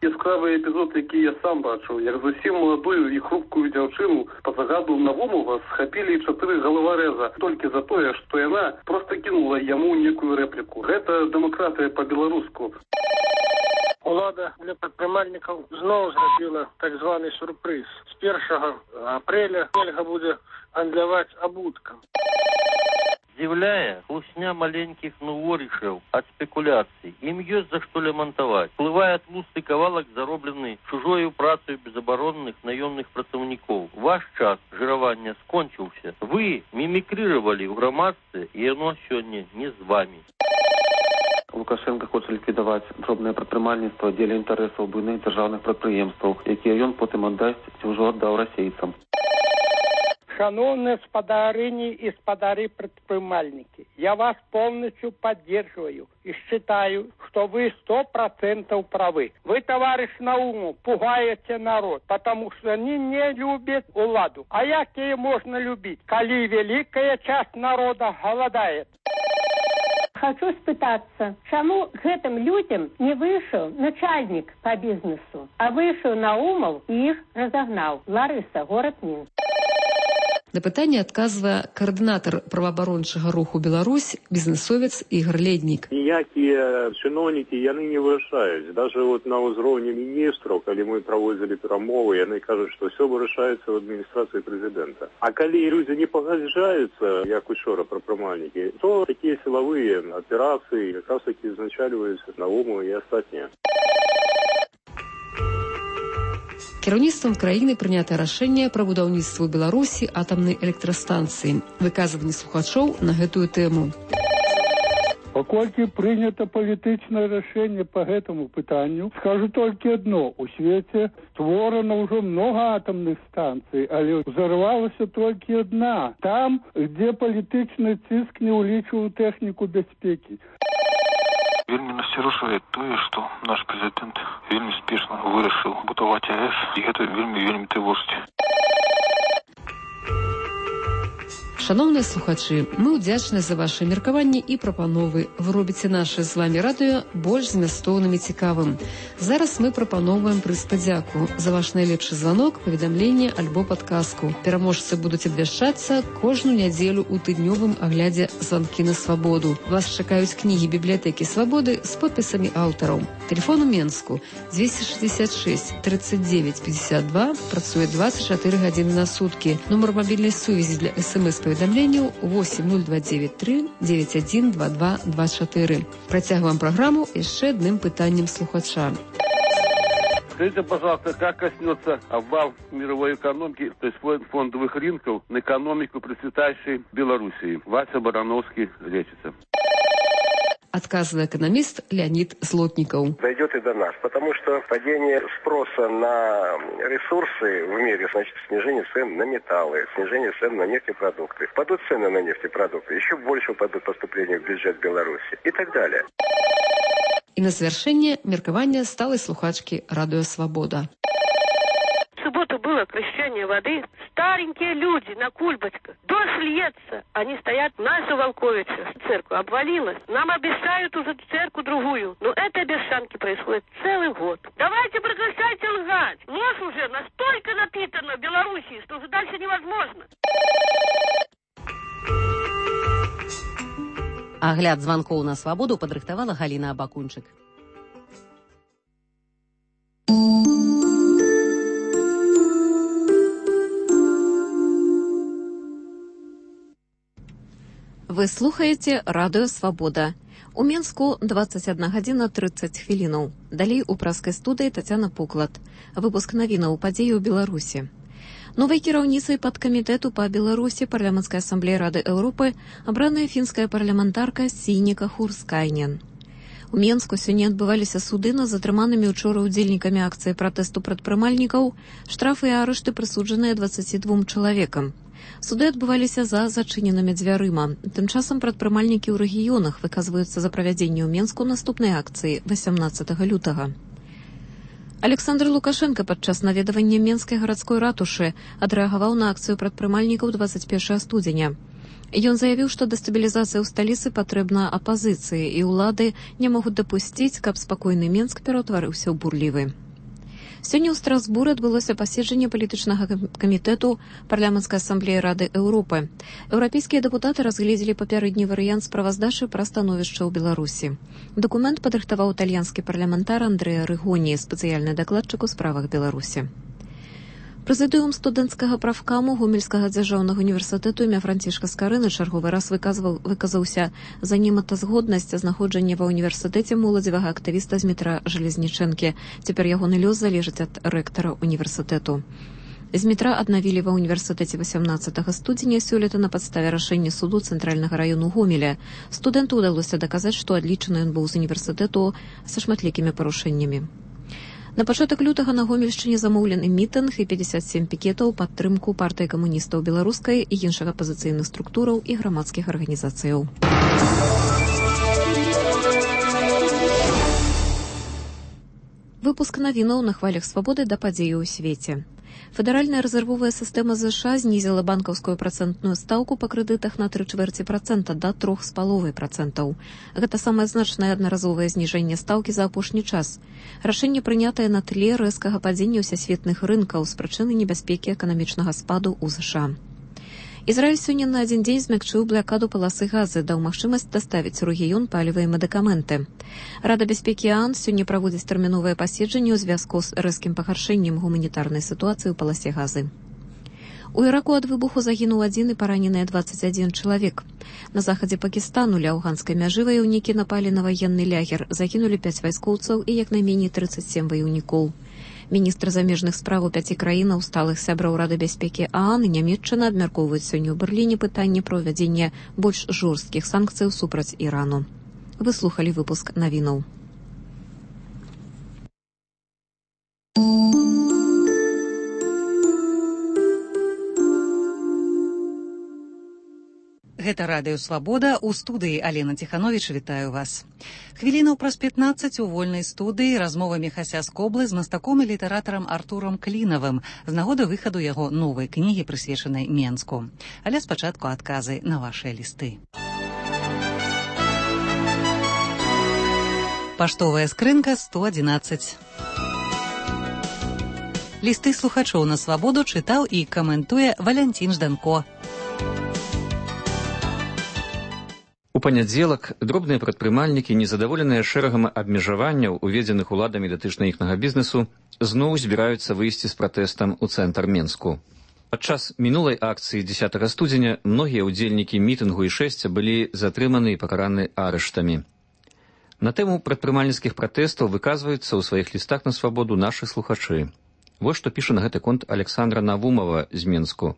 Яскравы эпізод, які я сам бачыў, як зусім маладую і хрупкую дзяўчыну па загаду Навумова схапілі чатыры галаварэза толькі за тое, што яна проста кінула яму некую рэпліку. Гэта дэмакратыя па-беларуску. Улада для прадпрымальнікаў зноў зрабіла так званы сюрпрыз. З першага апрэля нельга будзе гандляваць абуткам. Здзіўляе хлусня маленькіх нуворышаў ад спекуляцый. Ім ёсць за што лямантаваць. Плывае тлусты кавалак, зароблены чужою працаю безабаронных наёмных працаўнікоў. Ваш час жыравання скончыўся. Вы мімікрыравалі ў грамадстве, і яно сёння не з вамі. Лукашенко хоча ліквідаваць дробнае прадпрымальніцтва дзеля інтарэсаў буйных дзяржаўных прадпрыемстваў, якія ён потым аддасць ці ўжо аддаў расейцам. Шановные спадарыни и спадары-предпринимальники, я вас полностью поддерживаю и считаю, что вы сто процентов правы. Вы, товарищ Наумов, пугаете народ, потому что они не любят уладу. А какие можно любить, коли великая часть народа голодает? Хочу спытаться, чему гэтым людям не вышел начальник по бизнесу, а вышел Наумов и их разогнал. Лариса, город Минск. На пытанне адказвае каардынатар праваабарончага руху Беларусь, бізнесовец Ігор Леднік. Ніякія чыноўнікі яны не вырашаюць. Даже вот на ўзроўні міністраў, калі мы праводзілі перамовы, яны кажуць, што ўсё вырашаецца ў адміністрацыі прэзідэнта. А калі людзі не пагаджаюцца, як учора прадпрымальнікі, то такія сілавыя аперацыі якраз такі узначальваюцца Наумова і астатнія. Кіраўніцтвам краіны прынята рашэнне пра будаўніцтва ў Беларусі атамнай электрастанцыі. Выказванні слухачоў на гэтую тэму. Паколькі прынята палітычнае рашэнне па гэтаму пытанню, скажу толькі адно. У свеце створана ўжо многа атамных станцый, але ўзарвалася толькі адна. Там, дзе палітычны ціск не ўлічваў тэхніку бяспекі. Вельмі насцярожвае тое, што наш прэзідэнт вельмі спешна вырашыў будаваць АЭС, і гэта вельмі вельмі трывожыць. Шановныя слухачы, мы ўдзячны за вашы меркаванні і прапановы. Вы робіце наше з вамі радыё больш змястоўным і цікавым. Зараз мы прапаноўваем прыз падзяку за ваш найлепшы званок, паведамленне альбо падказку. Пераможцы будуць абвяшчацца кожную нядзелю ў тыднёвым аглядзе «Званкі на свабоду». Вас чакаюць кнігі бібліятэкі свабоды з подпісамі аўтараў. Тэлефон у Менску двести шестьдесят шесть тридцать девять пятьдесят два, працуе двадцать четыре гадзіны на суткі. Нумар мабільнай сувязі для эс-эм-эс-паведамленняў восемь ноль два девять три девять один два два два четыре. Працягваем праграму яшчэ адным пытаннем слухача. Скажите, пожалуйста, как коснется обвал мировой экономики, то есть фондовых рынков, на экономику процветающей Белоруссии? Вася Барановский, лечится. Отказывает экономист Леонид Злотников. Дойдет и до нас, потому что падение спроса на ресурсы в мире, значит, снижение цен на металлы, снижение цен на нефтепродукты. Падут цены на нефтепродукты, еще больше упадут поступления в бюджет Беларуси и так далее. И на завершение меркования сталой слухачки «Радио Свобода». В субботу было крещение воды старенькие люди на кульбочках. Дождь льется. Они стоят, наша Волковица, церковь обвалилась. Нам обещают уже церковь другую. Но это обещанки происходит целый год. Давайте прекращайте лгать. Ложь уже настолько напитана в Белоруссии, что уже дальше невозможно. Агляд званкоў на свабоду падрыхтавала Галіна Абакунчык. Вы слухаеце радыё «Свабода». У Менску двадцать одна гадзіна тридцать хвілінаў. Далей у праскай студыі Тацяна Пуклад. Выпуск навінаў падзеі ў Беларусі. Новай кіраўніцай падкамітэту па Беларусі парламенцкай асамблеі Рады Еўропы абраная фінская парламентарка Сійніка Хурскайнен. У Менску сёння адбываліся суды над затрыманымі учора ўдзельнікамі акцыі пратэсту прадпрымальнікаў, штрафы і арышты прысуджаныя дваццаці двум чалавекам. Суды адбываліся за зачыненымі дзвярыма. Тым часам прадпрымальнікі ў рэгіёнах выказваюцца за правядзенне ў Менску наступнай акцыі васямнаццатага лютага. Александр Лукашенко падчас наведавання Менскай гарадской ратушы адрэагаваў на акцыю прадпрымальнікаў дваццаць першага студзеня. Ён заявіў, што дэстабілізацыя ў сталіцы патрэбна апазіцыі, і ўлады не могуць дапусціць, каб спакойны Менск пераўтварыўся ў бурлівы. Сёння ў Страсбуры адбылося паседжанне палітычнага камітэту парламенцкай асамблеі Рады Еўропы. Еўрапейскія дэпутаты разгледзелі папярэдні варыянт справаздачы пра становішча ў Беларусі. Дакумент падрыхтаваў італьянскі парламентар Андрэа Рыгоні, спецыяльны дакладчык у справах Беларусі. Прэзідыум студэнцкага прафкаму Гомельскага дзяржаўнага універсітэту імя Францішка Скарыны чарговы раз выказваў, выказаўся за немэтазгоднасць знаходжання ва ўніверсітэце моладзевага актывіста Змітра Жалезнічэнкі. Цяпер ягоны лёс залежыць ад рэктара універсітэту. Змітра аднавілі ва ўніверсітэце васямнаццатага студзеня сёлета на падставе рашэння суду цэнтральнага раёну Гомеля. Студэнту ўдалося даказаць, што адлічаны ён быў з універсітэту са шматлікімі парушэннямі. На пачатак лютага на Гомельшчыне замоўлены мітынг і пятьдесят семь пікетаў падтрымку партыі камуністаў беларускай і іншых апазіцыйных структураў і грамадскіх арганізацыяў. Выпуск навінаў на хвалях свабоды да падзеі ў свеце. Федэральная рэзервовая сістэма ЗША знізіла банкаўскую працэнтную стаўку па крэдытах на тры чвэрці працэнта да трох з паловай працэнтаў. Гэта самае значнае аднаразовае зніжэнне стаўкі за апошні час. Рашэнне прынятае на тле рэзкага падзення ўсесветных рынкаў з прычыны небяспекі эканамічнага спаду ў ЗША. Ізраіль сёння на адзін дзень змякчыў блакаду паласы газы, даў магчымасць даставіць у рэгіён паліва і медыкаменты. Рада бяспекі ААН сёння праводзіць тэрміновае паседжанне ў звязку з рэзкім пагаршэннем гуманітарнай сітуацыі ў паласе газы. У Іраку ад выбуху загінуў адзін і параненыя дваццаць адзін чалавек. На захадзе Пакістану ля афганскай мяжы ваяўнікі напалі на ваенны лягер, загінулі пяць вайскоўцаў і як найменей трыццаць сем ваяўнікоў. Міністр замежных справ у пяці краінаў сталых сябраў Рады бяспекі ААН і Нямецчына абмяркоўваюць сёння ў Берліне пытанне пра ўвядзенне больш жорсткіх санкцыяў супраць Ірану. Вы слухалі выпуск навінаў. Гэта радыё «Свабода», у студыі Алена Ціхановіч, вітаю вас. Хвілінаў праз пятнаццаць у вольнай студыі размова Міхася Скоблы з мастаком і літаратарам Артурам Клінавым з нагоды выхаду яго новай кнігі, прысвечанай Менску. Але спачатку адказы на вашыя лісты. Паштовая скрынка сто адзінаццаць. Лісты слухачоў на «Свабоду» чытаў і каментуе Валянцін Жданко. У панядзелак дробныя прадпрымальнікі, незадаволеныя шэрагам абмежаванняў, уведзеных уладамі датычна іхнага бізнесу, зноў збіраюцца выйсці з пратэстам у цэнтр Менску. Падчас мінулай акцыі дзесятага студзеня многія ўдзельнікі мітынгу і шэсця былі затрыманы і пакараны арыштамі. На тэму прадпрымальніцкіх пратэстаў выказваюцца ў сваіх лістах на «Свабоду» нашы слухачы. Вось што піша на гэты конт Александра Навумова з Менску.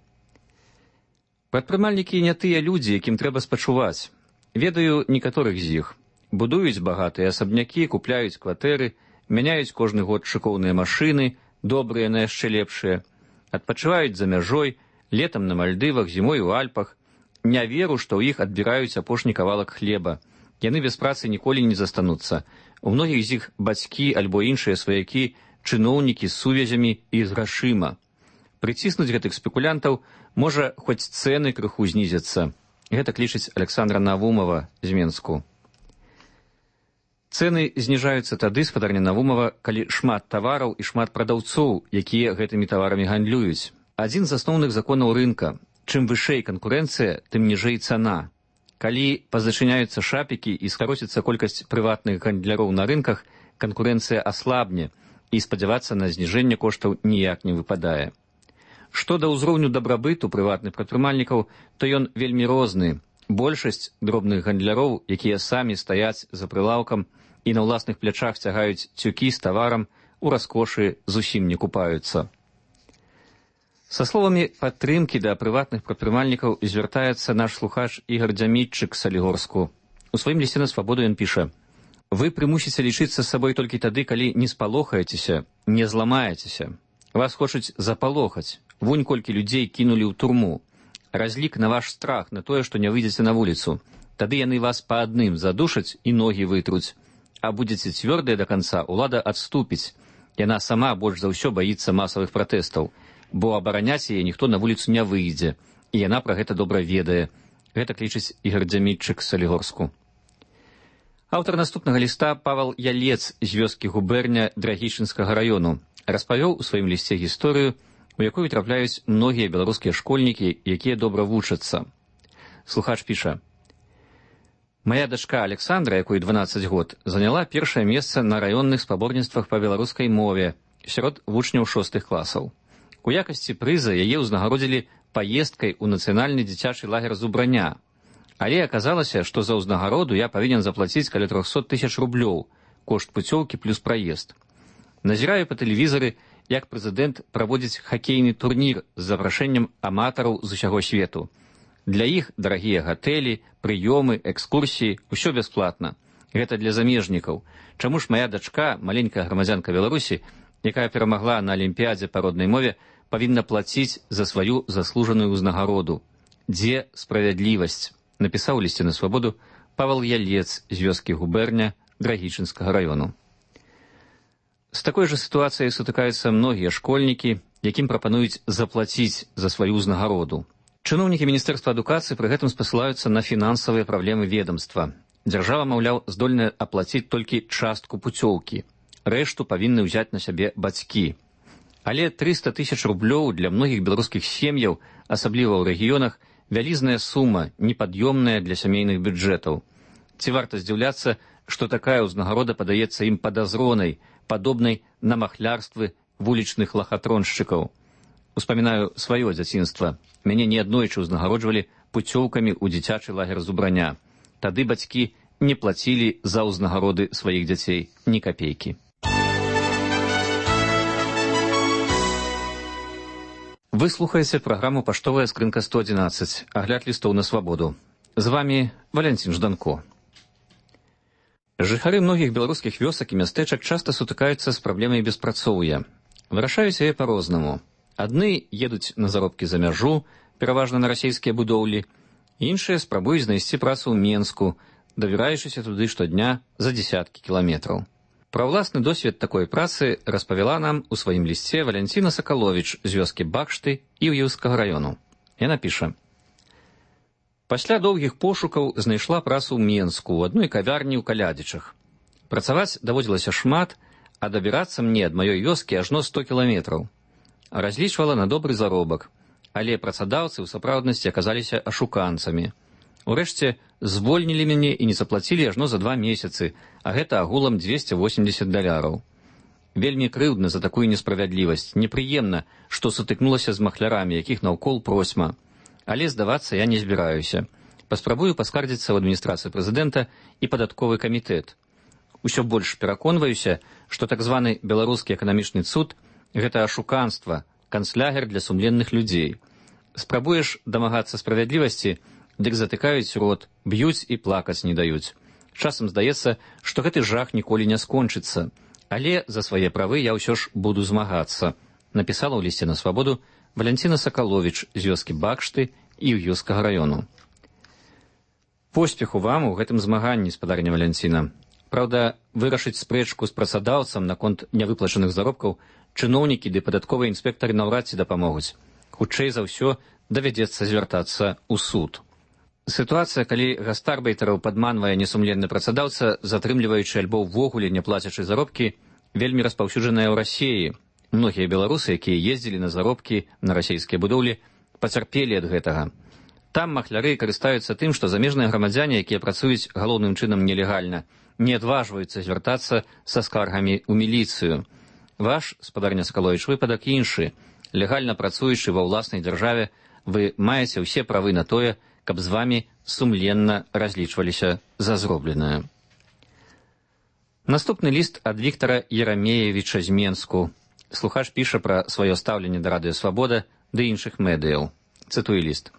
Прадпрымальнікі не тыя людзі, якім трэба спачуваць. Ведаю некаторых з іх. Будуюць багатыя асабнякі, купляюць кватэры, мяняюць кожны год шыкоўныя машыны, добрыя на яшчэ лепшыя, адпачываюць за мяжой, летам на Мальдывах, зімой у Альпах. Не веру, што ў іх адбіраюць апошні кавалак хлеба. Яны без працы ніколі не застануцца. У многіх з іх бацькі альбо іншыя сваякі, чыноўнікі з сувязямі і з грашыма. Прыціснуць гэтых спекулянтаў можа хоць цэны крыху знізяцца. Гэта клічыць Александра Навумова з Менску. Цэны зніжаюцца тады, спадарня Навумова, калі шмат тавараў і шмат прадаўцоў, якія гэтымі таварамі гандлююць. Адзін з асноўных законаў рынка. Чым вышэй канкурэнцыя, тым ніжэй цана. Калі пазачыняюцца шапікі і скароціцца колькасць прыватных гандляроў на рынках, канкурэнцыя аслабне, і спадзявацца на зніжэнне коштаў ніяк не выпадае. Што да ўзроўню дабрабыту прыватных прадпрымальнікаў, то ён вельмі розны. Большасць дробных гандляроў, якія самі стаяць за прылаўкам і на ўласных плячах цягаюць цюкі з таварам, у раскошы зусім не купаюцца. Са словамі падтрымкі да прыватных прадпрымальнікаў звяртаецца наш слухач Ігор Дзямітчык з Салігорску. У сваім лісце на свабоду ён піша: «Вы прымусіце лічыцца з сабой толькі тады, калі не спалохаецеся, не зламаецеся. Вас хочуць запалохаць. Вунь колькі людзей кінулі ў турму. Разлік на ваш страх, на тое, што не выйдзеце на вуліцу. Тады яны вас па адным задушаць і ногі вытруць. А будзеце цвёрдыя да канца, улада адступіць. Яна сама больш за ўсё баіцца масавых пратэстаў, бо абараняць яе ніхто на вуліцу не выйдзе, і яна пра гэта добра ведае». Гэта клічыць Ігор Дзямітчык з Салігорску. Аўтар наступнага ліста Павал Ялец з вёскі Губерня Драгічынскага раёну распавёў у сваім лісце гісторыю, у якую трапляюць многія беларускія школьнікі, якія добра вучацца. Слухач піша: «Мая дачка Александра, якой дванаццаць год, заняла першае месца на раённых спаборніцтвах па беларускай мове сярод вучняў шостых класаў. У якасці прыза яе ўзнагародзілі паездкай у нацыянальны дзіцячы лагер Зубраня. Але аказалася, што за ўзнагароду я павінен заплаціць каля трохсот тысяч рублёў, кошт пуцёўкі плюс праезд. Назіраю па тэлевізары, як прэзідэнт праводзіць хакейны турнір з запрашэннем аматараў з усяго свету. Для іх дарагія гатэлі, прыёмы, экскурсіі, усё бясплатна. Гэта для замежнікаў. Чаму ж мая дачка, маленькая грамадзянка Беларусі, якая перамагла на алімпіядзе па роднай мове, павінна плаціць за сваю заслужаную ўзнагароду? Дзе справядлівасць?» Напісаў у лісце на свабоду Павал Ялец з вёскі Губерня Драгічынскага раёну. З такой жа сітуацыяй сутыкаюцца многія школьнікі, якім прапануюць заплаціць за сваю ўзнагароду. Чыноўнікі Міністэрства адукацыі пры гэтым спасылаюцца на фінансавыя праблемы ведамства. Дзяржава, маўляў, здольная аплаціць толькі частку пуцёўкі. Рэшту павінны ўзяць на сябе бацькі. Але трыста тысяч рублёў для многіх беларускіх сем'яў, асабліва ў рэгіёнах, вялізная сума, непад'ёмная для сямейных бюджэтаў. Ці варта здзіўляцца, што такая ўзнагарода падаецца ім падазронай, падобнай на махлярствы вулічных лахатроншчыкаў. Успамінаю сваё дзяцінства. Мяне неаднойчы ўзнагароджвалі пуцёўкамі ў дзіцячы лагер Зубраня. Тады бацькі не плацілі за ўзнагароды сваіх дзяцей ні капейкі. Вы слухаеце праграму «Паштовая скрынка сто адзінаццаць», агляд лістоў на свабоду. З вамі Валянцін Жданко. Жыхары многіх беларускіх вёсак і мястэчак часта сутыкаюцца з праблемай беспрацоўя. Вырашаюць яе па-рознаму. Адны едуць на заробкі за мяжу, пераважна на расійскія будоўлі, іншыя спрабуюць знайсці працу ў Менску, давіраючыся туды штодня за дзесяткі кіламетраў. Пра ўласны досвед такой працы распавяла нам у сваім лісце Валянціна Сакаловіч з вёскі Бакшты і Іўскага раёну. Яна піша: «Пасля доўгіх пошукаў знайшла працу ў Менску, у адной кавярні ў Калядзічах. Працаваць даводзілася шмат, а дабірацца мне ад маёй вёскі ажно сто кіламетраў. Разлічвала на добры заробак, але працадаўцы ў сапраўднасці аказаліся ашуканцамі. Урэшце, звольнілі мяне і не заплацілі ажно за два месяцы, а гэта агулам дзвесце восемдзесят даляраў. Вельмі крыўдна за такую несправядлівасць, непрыемна, што сутыкнулася з махлярамі, якіх наўкол просьма. Але здавацца я не збіраюся. Паспрабую паскардзіцца ў адміністрацыі прэзідэнта і падатковы камітэт. Усё больш пераконваюся, што так званы беларускі эканамічны цуд – гэта ашуканства, канцлягер для сумленных людзей. Спрабуеш дамагацца справядлівасці, дык затыкаюць рот, б'юць і плакаць не даюць. Часам здаецца, што гэты жах ніколі не скончыцца. Але за свае правы я ўсё ж буду змагацца. Напісала ў лісце на свабоду Валянціна Сакаловіч з вёскі Бакшты і Іўскага раёну. Поспеху вам у гэтым змаганні, спадарня Валянціна. Праўда, вырашыць спрэчку з працадаўцам наконт нявыплачаных заробкаў чыноўнікі ды падатковыя інспектары наўрад ці дапамогуць. Хутчэй за ўсё давядзецца звяртацца ў суд. Сітуацыя, калі гастарбейтараў падманвае несумленны працадаўца, затрымліваючы альбо ўвогуле не плацячы заробкі, вельмі распаўсюджаная ў Расіі. Многія беларусы, якія ездзілі на заробкі на расійскія будоўлі, пацярпелі ад гэтага. Там махляры карыстаюцца тым, што замежныя грамадзяне, якія працуюць галоўным чынам нелегальна, не адважваюцца звяртацца са скаргамі ў міліцыю. Ваш, спадарня Сакаловіч, выпадак іншы. Легальна працуючы ва ўласнай дзяржаве, вы маеце ўсе правы на тое, каб з вамі сумленна разлічваліся за зробленае. Наступны ліст ад Віктара Ерамеевіча з Менску. Слухач піша пра сваё стаўленне да Радыё Свабода ды іншых медыяў. Цытую ліст.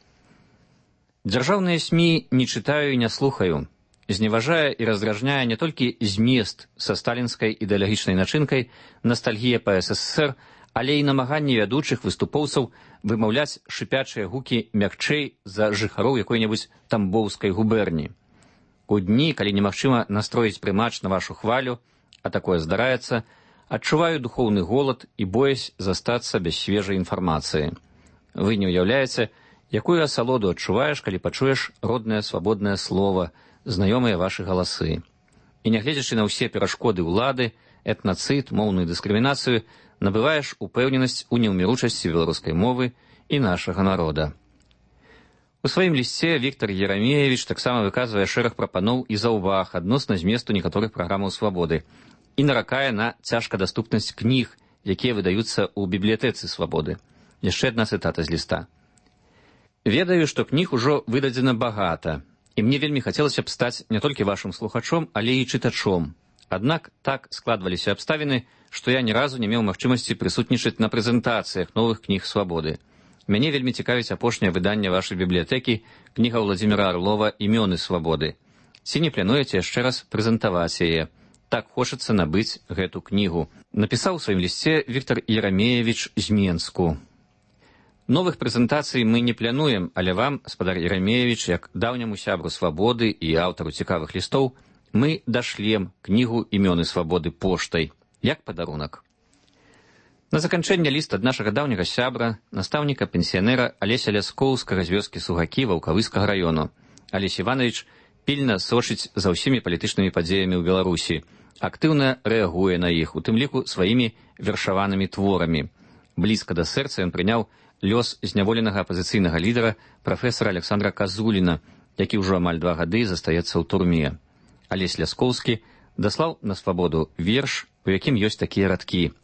Дзяржаўныя СМІ не чытаю і не слухаю. Зневажае і раздражняе не толькі змест са сталінскай ідэалагічнай начынкай, ностальгія па СССР, але і намаганні вядучых выступоўцаў вымаўляць шыпячыя гукі мякчэй за жыхароў якой-небудзь тамбоўскай губерні. У дні, калі немагчыма настроіць прымач на вашу хвалю, а такое здараецца, адчуваю духоўны голад і боязь застацца без свежай інфармацыі. Вы не ўяўляеце, якую асалоду адчуваеш, калі пачуеш роднае свабоднае слова, знаёмыя вашы галасы. І нягледзячы на ўсе перашкоды ўлады, этнацыд, моўную дыскрымінацыю, набываеш упэўненасць у неўміручасці беларускай мовы і нашага народа. У сваім лісце Віктар Ерамеевіч таксама выказвае шэраг прапаноў і заўваг адносна зместу некаторых праграмаў свабоды і наракае на цяжкадаступнасць кніг, якія выдаюцца ў бібліятэцы свабоды. Яшчэ адна цытата з ліста. Ведаю, што кніг ужо выдадзена багата, і мне вельмі хацелася б стаць не толькі вашым слухачом, але і чытачом. Аднак так складваліся абставіны, што я ні разу не меў магчымасці прысутнічаць на прэзентацыях новых кніг свабоды. Мяне вельмі цікавіць апошняе выданне вашай бібліятэкі, кніга Владзіміра Арлова «Імёны свабоды». Ці не плануеце яшчэ раз прэзентаваць яе? Так хочацца набыць гэту кнігу. Напісаў у сваім лісце Віктар Ерамеевіч з Менску. Новых прэзентацый мы не плануем, але вам, спадар Ерамеевіч, як даўняму сябру свабоды і аўтару цікавых лістоў, мы дашлем кнігу «Імёны свабоды» поштай, як падарунак. На заканчэнне ліст ад нашага даўняга сябра, настаўніка пенсіянера Алеся Ляскоўскага з вёскі Сугакі Ваўкавыскага раёну. Алесь Іванович пільна сочыць за ўсімі палітычнымі падзеямі ў Беларусі, актыўна рэагуе на іх, у тым ліку сваімі вершаванымі творамі. Блізка да сэрца ён прыняў лёс зняволенага апазіцыйнага лідара прафесара Александра Казуліна, які ўжо амаль два гады застаецца ў турме. Алесь Ляскоўскі даслаў на свабоду верш, у якім ёсць такія радкі.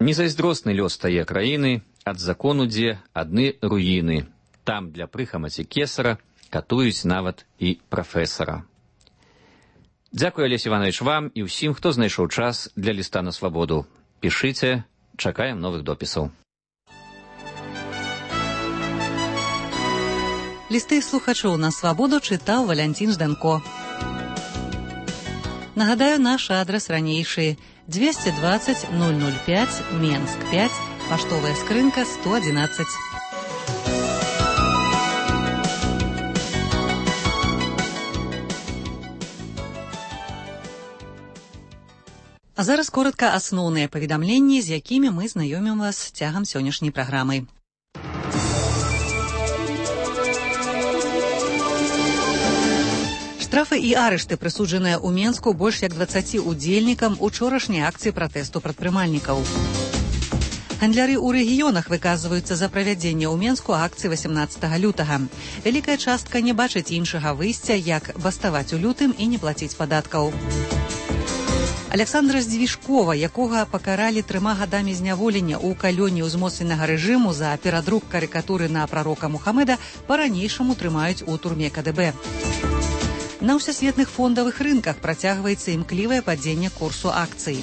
Незайздросны лёс тае краіны, ад закону дзе адны руіны. Там для прыхамаці кесара катуюць нават і прафесара. Дзякуй, Алесь Іванович, вам і ўсім, хто знайшоў час для ліста на свабоду. Пішыце, чакаем новых допісаў. Лісты слухачоў на свабоду чытаў Валянцін Жданко. Нагадаю, наш адрес ранейшы двести двадцать ноль ноль пять, Менск пять, паштовая скрынка сто одиннадцать. А зараз коротка асноўныя паведамленні, з якімі мы знаёмім вас цягам сённяшняй праграмы. Штрафы і арышты прысуджаныя ў Менску больш як дваццаці удзельнікам учорашняй акцыі пратэсту прадпрымальнікаў. Гандляры ў рэгіёнах выказваюцца за правядзенне ў Менску акцыі васямнаццатага лютага. Вялікая частка не бачыць іншага выйсця, як баставаць у лютым і не плаціць падаткаў. Александра Здвижкова, якога пакаралі трыма гадамі зняволення ў калоніі ўзмоцненага рэжыму за перадрук карыкатуры на прарока Мухаммеда, па-ранейшаму трымаюць у турме ка дэ бэ. На ўсесветных фондавых рынках працягваецца імклівае падзенне курсу акцый.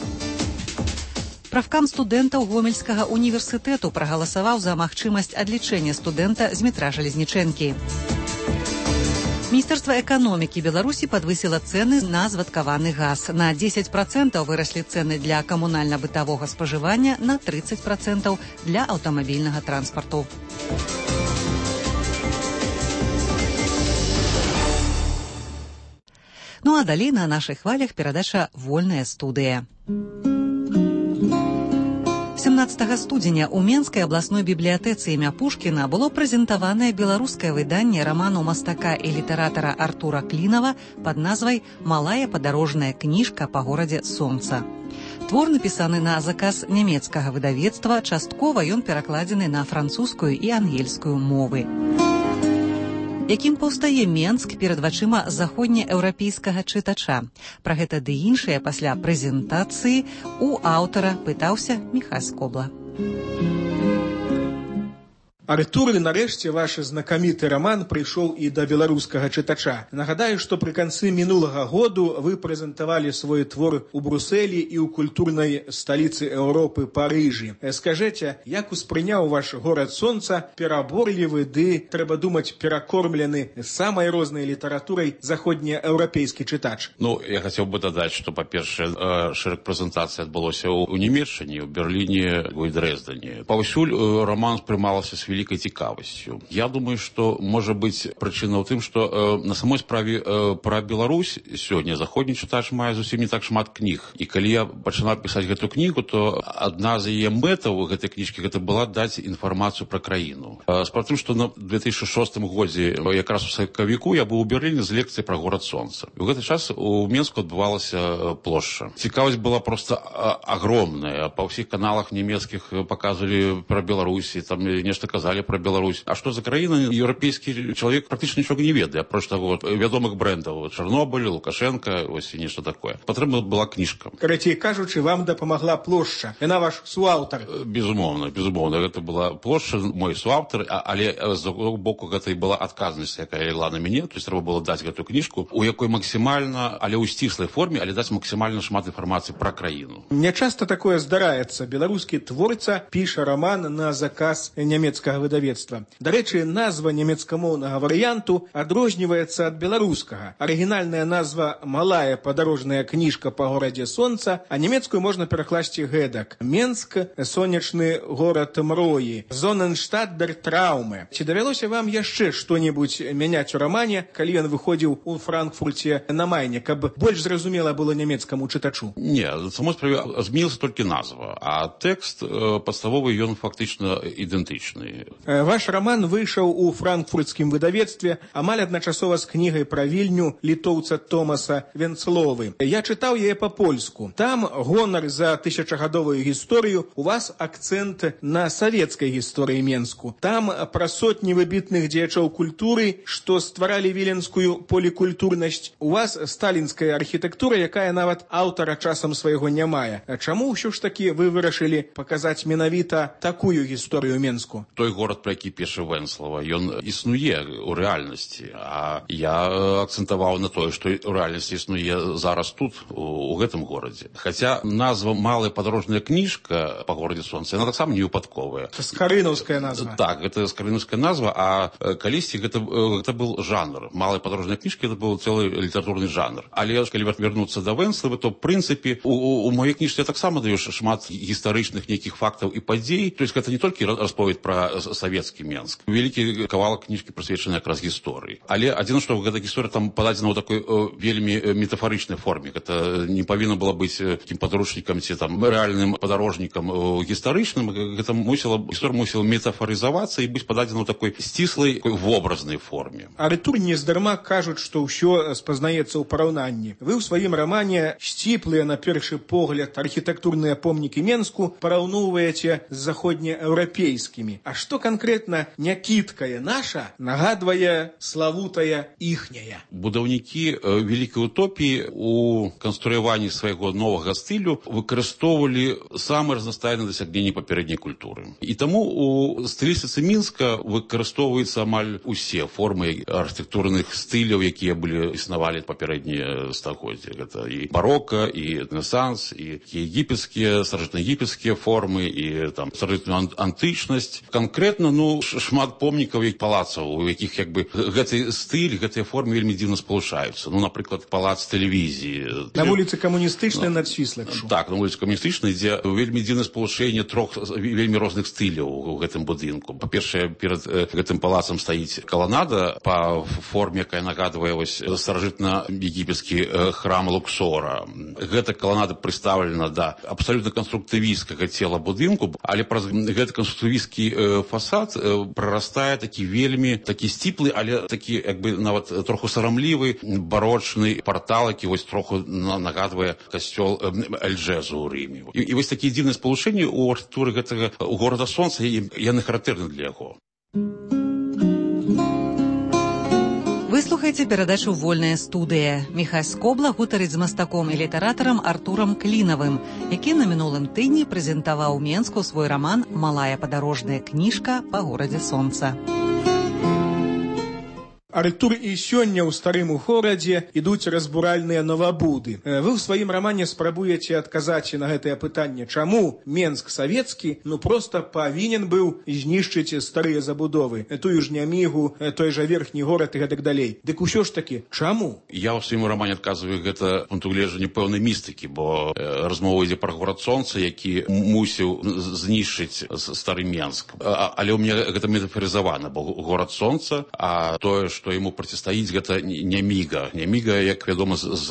Правкам студэнтаў Гомельскага універсітэту прагаласаваў за магчымасць адлічэння студэнта з метра Жалезнічэнкі. Міністэрства эканомікі Беларусі падвысіла цэны на звадкаваны газ. На дзесяць працэнтаў выраслі цэны для камунальна-бытавога спажывання, на трыццаць працэнтаў для аўтамабільнага транспарту. Ну а далей на нашых хвалях перадача «Вольная студыя». семнаццатага студзеня ў Менскай абласной бібліятэцы імя Пушкіна было прэзентаванае беларускае выданне раману мастака і літаратара Артура Клінава пад назвай «Малая падарожная кніжка па горадзе Сонца». Твор напісаны на заказ нямецкага выдавецтва, часткова ён перакладзены на французскую і ангельскую мовы. Якім паўстае Менск перад вачыма заходнееўрапейскага чытача? Пра гэта ды іншае пасля прэзентацыі у аўтара пытаўся Міхась Скобла. Артур, нарэшце ваш знакаміты раман прыйшоў і да беларускага чытача. Нагадаю, што пры канцы мінулага году вы прэзентавалі свой твор у Брусэлі і ў культурнай сталіцы Еўропы Парыжы. Скажэце, як успрыняў ваш горад Сонца пераборлівы ды, трэба думаць, перакормлены самай рознай літаратурай заходнееўрапейскі чытач? Ну, я хацеў бы дадаць, што, па-першае, шэраг прэзентацый адбылося ў Нямецчыне, ў Берліне, у Дрэздане. Паўсюль раман спрымалася з великой цікавасцю. Я думаю, што можа быць прычына ў тым, што э, на самой справе э, пра Беларусь сёння заходні чытач мае зусім не так шмат кніг. І калі я пачынаў пісаць гэту кнігу, то адна з яе мэтаў гэтай кніжкі гэта была даць інфармацыю пра краіну. Э, Справа ў тым, што на две тысячы шостым годзе, якраз у сакавіку, я быў у Берліне з лекцыяй пра горад Сонца. І ў гэты час у Менску адбывалася плошча. Цікавасць была проста агромная. Па ўсіх каналах нямецкіх паказвалі пра Беларусі, там нешта казалі про Беларусь. А што за краіна, еўрапейскі чалавек практычна нічога не ведае, апроч таго вядомых брэндаў. Чарнобыль, Лукашенка, ось і нешта такое. Патрэбна была кніжка. Карацей кажучы, вам дапамагла плошча. Яна ваш суаўтар. Безумоўна, безумоўна. Гэта была плошча, мой суаўтар, але з другого боку гэта і была адказнасць, якая легла на мяне. То есть трэба было даць гэтую кніжку, у якой максімальна, але ў сціслай форме, але даць максімальна шмат інфармацыі пра краіну. Не часта такое здараецца. Беларускі творца піша раман на заказ нямецкага выдавецтва. Дарэчы, назва нямецкамоўнага варыянту адрозніваецца ад беларускага. Арыгінальная назва «Малая падарожная кніжка па горадзе Сонца», а нямецкую можна перакласці гэтак: Менск, сонечны горад мроі, Зоненштадт дер Трауме. Ці давялося вам яшчэ што-небудзь мяняць у рамане, калі ён выходзіў у Франкфурце на Майне, каб больш зразумела было нямецкаму чытачу? Не, самой справе змянілася толькі назва, а тэкст падставовы ён фактычна ідэнтычны. Ваш раман выйшаў у франкфуртскім выдавецтве амаль адначасова з кнігай пра Вільню літоўца Томаса Венцловы. Я чытаў яе па-польску. Там гонар за тысячагадовую гісторыю, у вас акцэнт на савецкай гісторыі Менску. Там пра сотні выбітных дзеячоў культуры, што стваралі віленскую полікультурнасць. У вас сталінская архітэктура, якая нават аўтара часам свайго не мае. Чаму ўсё ж такі вы вырашылі паказаць менавіта такую гісторыю Менску? Той горад, пра які піша Венслава, ён існуе ў рэальнасці, а я акцэнтаваў на тое, што ў рэальнасці існуе зараз тут, у, у гэтым горадзе. Хаця назва «Малая падарожная кніжка» па горадзе Сонца, яна таксама не выпадковая. Скарынаўская назва. Так, гэта скарынаўская назва, а калісьці гэта, гэта был жанр. «Малая падарожная кніжка» гэта быў цэлы літаратурны жанр. Але калі вярнуцца да Венславы, то, в прынцыпе, у, у маёй кніжцы я таксама даю шмат гістарычных нейкіх фактаў і падзей. То есть гэта не толькі расповед пра савецкі Менск. Вялікі кавалак кніжкі прысвечаны якраз гісторыі. Але адзіна, што гэта гісторыя там пададзена ў такой о, вельмі метафарычнай форме. Гэта не павінна было быць такім падручнікам ці там рэальным падарожнікам гістарычным. Гэта мусіла, гісторыя мусіла метафарызавацца і быць пададзена ў такой сціслай вобразнай форме. Артур нездарма кажуць, што ўсё спазнаецца ў параўнанні. Вы ў сваім рамане сціплыя на першы погляд архітэктурныя помнікі Менску параўноўваеце з заходнееўрапейскімі. А што канкрэтна някіткая наша нагадвае славутая іхняя? Будаўнікі вялікай утопіі у канструяванні свайго новага стылю выкарыстоўвалі самыя разнастайныя дасягненні папярэдняй культуры. І таму у стылістыцы Мінска выкарыстоўваюцца амаль усе формы архітэктурных стыляў, якія былі існавалі папярэднія стагоддзі. Гэта і барока, і рэнесанс, і егіпецкія, старажытнаегіпецкія формы, і там старажытную антычнасць. Канкрэтна Канкрэтна, ну, шмат помнікаў і палацаў, у якіх як бы гэты стыль, гэтыя формы вельмі дзіўна спалучаюцца. Ну, напрыклад, палац тэлевізіі. На вуліцы Камуністычнай над Свіслаччу. Так, на вуліцы Камуністычнай, дзе вельмі дзіўнае спалучэнне трох вельмі розных стыляў у гэтым будынку. Па-першае, перад гэтым палацам стаіць каланада па форме, якая нагадвае вось старажытна-егіпецкі храм Луксора. Гэта каланада прыстаўлена да абсалютна канструктывісцкага цела будынку, але праз гэты канструктывісцкі фасад прарастае такі вельмі такі сціплы, але такі як бы нават троху сарамлівы барочны партал, які вось троху нагадвае касцёл Эльджезу ў Рыме. І, і вось такія дзіўныя спалучэнні ў архітэктуры гэтага горада сонца, яны характэрны для яго. Вы слухаеце перадачу «Вольная студыя». Міхась Скобла гутарыць з мастаком і літаратарам Артурам Клінавым, які на мінулым тыдні прэзентаваў у Менску свой раман «Малая падарожная кніжка па горадзе сонца». Артур і сёння ў старым горадзе ідуць разбуральныя новабуды. Вы ў сваім рамане спрабуеце адказаць на гэтае пытанне, чаму Менск савецкі ну проста павінен быў знішчыць старыя забудовы, тую ж Нямігу, той жа верхні горад і гэтак далей. Дык усё ж такі, чаму? Я ў сваім рамане адказваю гэта пункту гледжання пэўнай містыкі, бо размова ідзе пра горад сонца, які мусіў знішчыць стары Менск. Але ў мяне гэта метафарызавана, бо горад сонца, а тое, што яму процістаіць, гэта Няміга. Няміга, як вядома, з, з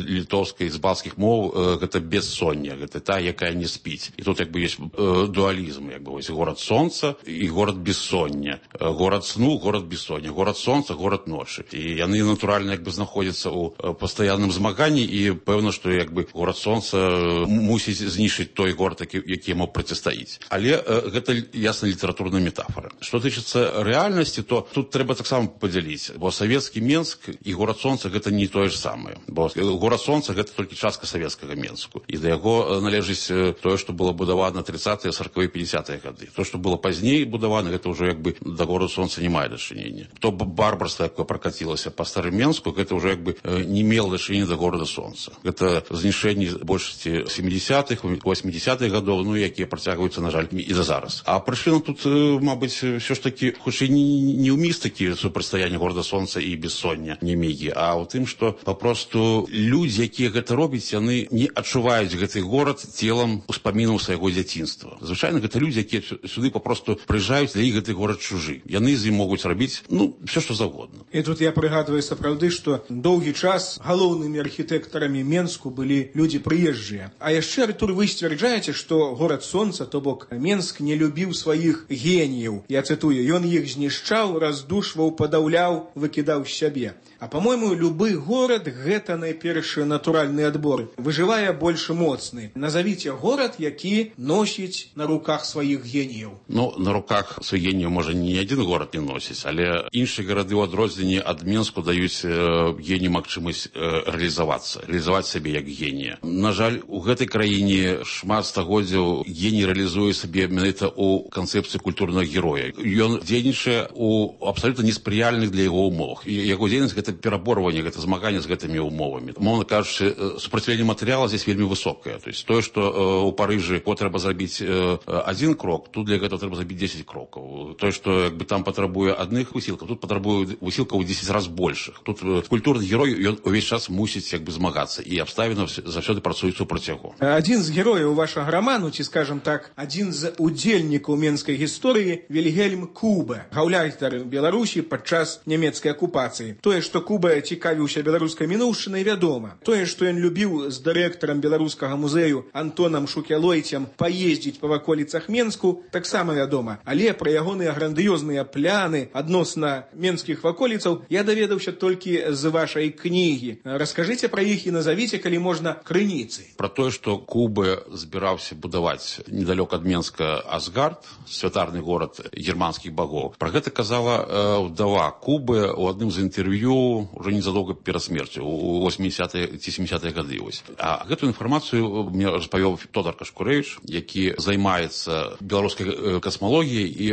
літоўскай, з балцкіх моў, гэта бессоння, гэта та, якая не спіць. І тут як бы ёсць э, дуалізм, як бы вось горад сонца і горад бессоння. Горад сну, горад бессоння. Горад сонца, горад ночы. І яны натуральна як бы знаходзяцца ў пастаянным змаганні, і пэўна, што як бы горад сонца мусіць знішчыць той горад, які, які яму процістаіць. Але э, гэта ясна літаратурная метафора. Што тычыцца рэальнасці, то тут трэба таксама падзяліць. Бо савецкі Менск і горад сонца гэта не тое ж самае. Бо горад сонца гэта толькі частка савецкага Менску. І да яго належыць тое, што было будавана трыццатыя, сарковыя, пятьдесятыя гады. То, што было пазней будавана, гэта ўжо як бы да гораду сонца не мае дачынення. То барбарства, якое пракацілася па старым Менску, гэта ўжо як бы не мела дачынення да горада сонца. Гэта знішэнні большасці сямідзясятых, восьмідзясятых гадоў, ну, якія працягваюцца, на жаль, і да зараз. А прычына тут, мабыць, ўсё ж такі, хутчэй не ў містыкі супрацьстаяння горада сонца і бессоння Нямігі, а ў тым, што папросту людзі, якія гэта робяць, яны не адчуваюць гэты горад целам успамінаў свайго дзяцінства. Звычайна гэта людзі, якія сюды папросту прыязджаюць, для іх гэты горад чужы. Яны з ім могуць рабіць, ну, все што загодна. І тут я прыгадваю сапраўды, што доўгі час галоўнымі архітэктарамі Менску былі людзі прыезджыя. А яшчэ, Артур, вы сцвярджаеце, што горад сонца, то бок Менск, не любіў сваіх геніяў. Я цытую, ён іх знішчаў, раздушваў, падаўляў, выкідаў з сябе. А, по-мойму, любы горад – гэта найперш натуральны адбор. Выжывае больш моцны. Назавіце горад, які носіць на руках сваіх геніяў. Ну, на руках сваіх геніяў, можа, ні адзін горад не носіць, але іншыя гарады ў адрозненні ад Менску даюць э, генію магчымасць э, рэалізавацца, рэалізаваць сябе як генія. На жаль, у гэтай краіне шмат стагоддзяў геній рэалізуе сабе менавіта ў канцэпцыі культурнага героя. Ён дзейнічае ў абсалютна неспрыяльных для яго умовах. І яго дзейнасць – гэта пераборванне, гэта змаганне з гэтымі умовамі. Мовна кажучы, супраціўленне матэрыяла здесь вельмі высокае. То есть тое, што ў Парыжы трэба зрабіць адзін крок, тут для гэтага трэба зрабіць дзесяць крокаў. Тое, што як бы там патрабуе адных высілкаў, тут патрабуе высілкаў у дзесяць раз большых. Тут культурны герой, ён увесь час мусіць як бы змагацца, і абставіны заўсёды працуюць супраць яго. Адзін з герояў вашага раману, ці, скажам так, адзін з удзельнікаў менскай гісторыі Вільгельм Куба, гаўляйтар Беларусі падчас нямецкай акупацыі. Тое, што Куба цікавіўся беларускай мінуўшчынай, вядома. Тое, што ён любіў з дырэктарам беларускага музею Антонам Шукялойцем паездзіць па ваколіцах Менску, таксама вядома. Але пра ягоныя грандыёзныя пляны адносна менскіх ваколіцаў я даведаўся толькі з вашай кнігі. Раскажыце пра іх і назавіце, калі можна, крыніцы. Пра тое, што Куба збіраўся будаваць недалёк ад Менска Асгард, святарны горад германскіх багоў. Пра гэта казала э, ўдава Кубы, бы у адным з інтэрв'ю уже незадоўга перад смерцю у восьмідзясятыя ці сямдзясятыя гады. А гэтую інфармацыю мне распавёў Тодар Кашкурэвіч, які займаецца беларускай касмалогіяй, і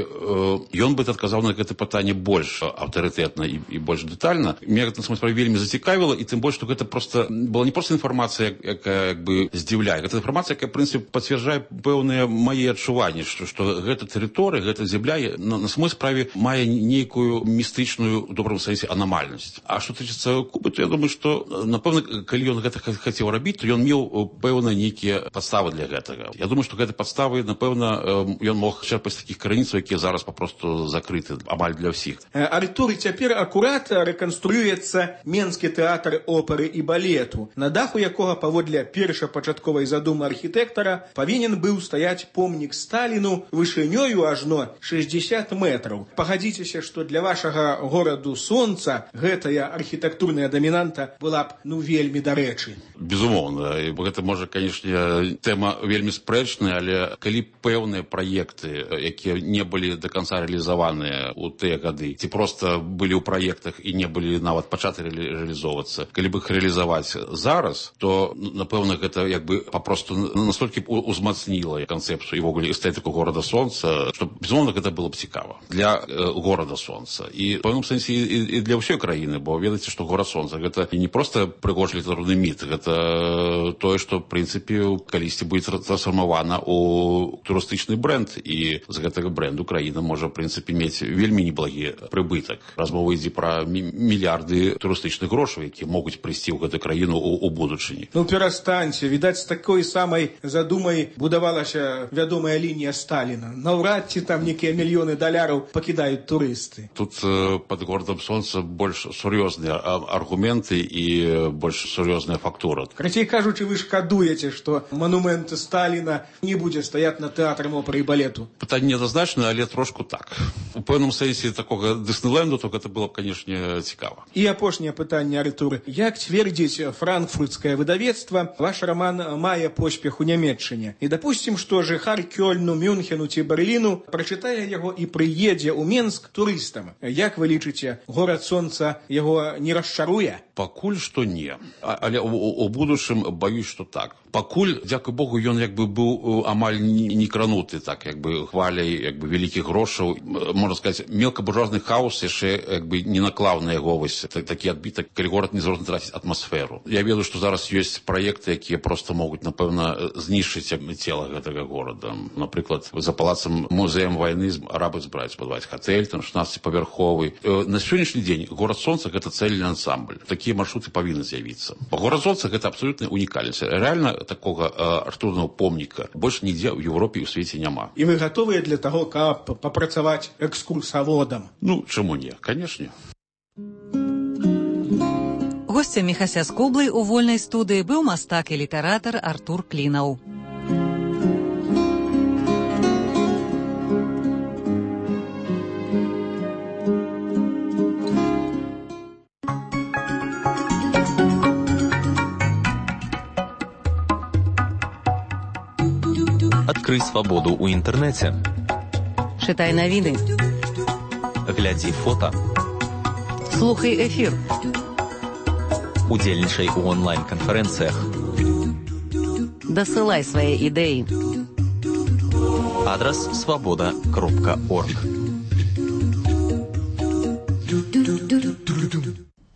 ён бы адказаў на гэта пытанне больш аўтарытэтна і, і больш дэтальна. Мне гэта на справе вельмі зацікавіла, і тым больш, што гэта просто была не проста інфармацыя, якая як бы здзіўляе. Гэта інфармацыя, якая, в прынцыпе, пацвярджае пэўныя мае адчуванні, што, што гэта тэрыторыя, гэта зямля на, на самой справе мае нейкую містычную, у добрым сэнсе, анамальнасць. А што тычыцца Кубы, то я думаю, што, напэўна, калі ён гэта хацеў рабіць, то ён меў пэўна нейкія падставы для гэтага. Я думаю, што гэтыя падставы, напэўна, ён мог чэрпаць такіх крыніцаў, якія зараз папросту закрыты амаль для ўсіх. Артур, цяпер акурат рэканструюецца Менскі тэатр оперы і балету, на даху якога паводле першапачатковай задумы архітэктара павінен быў стаяць помнік Сталіну вышынёю ажно шэсцьдзесят метраў. Пагадзіцеся, што для вашага гораду сонца гэтая архітэктурная дамінанта была б ну вельмі дарэчы. Безумоўна, гэта можа, канешне, тэма вельмі спрэчная, але калі пэўныя праекты, якія не былі до конца рэалізаваныя ў тыя гады, ці проста былі ў праектах і не былі нават пачаты рэалізоўвацца, калі бы іх рэалізаваць зараз, то, напэўна, гэта як бы папросту настолькі узмацніла канцэпцыю і ввогуле эстэтыку горада сонца, што, безумоўна, гэта было б цікава для э, горада сонца. І в пэўным сэнсе і, і для ўсёй краіны, бо ведаеце, што горад сонца гэта не проста прыгожы літаратурны міт, гэта тое, што, в прынцыпе, калісьці будзе трансфармавана ў турыстычны бренд, і з гэтага бренду краіна можа, в прынцыпе, мець вельмі неблагі прыбытак. Размова ідзе пра мільярды турыстычных грошаў, якія могуць прыйсці ў гэтую краіну ў, у будучыні. Ну, перастаньце. Відаць, з такой самай задумай будавалася вядомая лінія Сталіна. Наўрад ці там некія мільёны даляраў пакідаюць турысты. Тут э, пад горадам сонца больш сур'ёзныя аргументы і больш сур'ёзная фактура. Карацей кажучы, вы шкадуеце, што манумент Сталіна не будзе стаяць над тэатрам оперы і балету. Пытанне неадназначнае, але трошку так. У пэўным сэнсе такога Дыснейленду, то гэта было б, канешне, цікава. І апошняе пытанне, Артур. Як цвердзіць франкфуртскае выдавецтва, ваш роман мае поспех у Нямецчыне. І дапусцім, што жыхар Кёльну, Мюнхену ці Берліну прачытае яго і прыедзе ў Менск турыстам. Як вы лічыце, горад сонца яго не расчаруе? Пакуль што не. А, але у, у будучым баюсь, што так. Пакуль, дзякуй Богу, ён як бы быў амаль не крануты, так, як бы хваляй як бы вялікіх грошаў. Можна сказаць, мелкабуржуазны хаос яшчэ як бы не наклаў на яго вось такі адбітак, калі горад не зможа траціць атмасферу. Я ведаю, што зараз ёсць праекты, якія проста могуць, напэўна, знішчыць цела гэтага горада. Напрыклад, за палацам музеем вайны арабы збіраюць будаваць гатэль, там шаснаццаціпавярховы. На сённяшні дзень горад сонца гэта цэльны ансамбль. Такія маршруты павінны з'явіцца. Горад сонца гэта абсалютная унікальнасць. Рэальна такога артурнага помніка больш нідзе ў Еўропе і ў свеце няма. І вы гатовыя для таго, каб папрацаваць экскурсаводам? Ну, чаму не? Канешне. Госцем Міхася Скоблы у вольнай студыі быў мастак і літаратар Артур Клінаў. Адкрый свабоду ў інтэрнэце. Чытай навіны. Глядзі фота. Слухай эфір. Удзельнічай у онлайн-канферэнцыях. Дасылай свае ідэі. Адрас свабода кропка орг.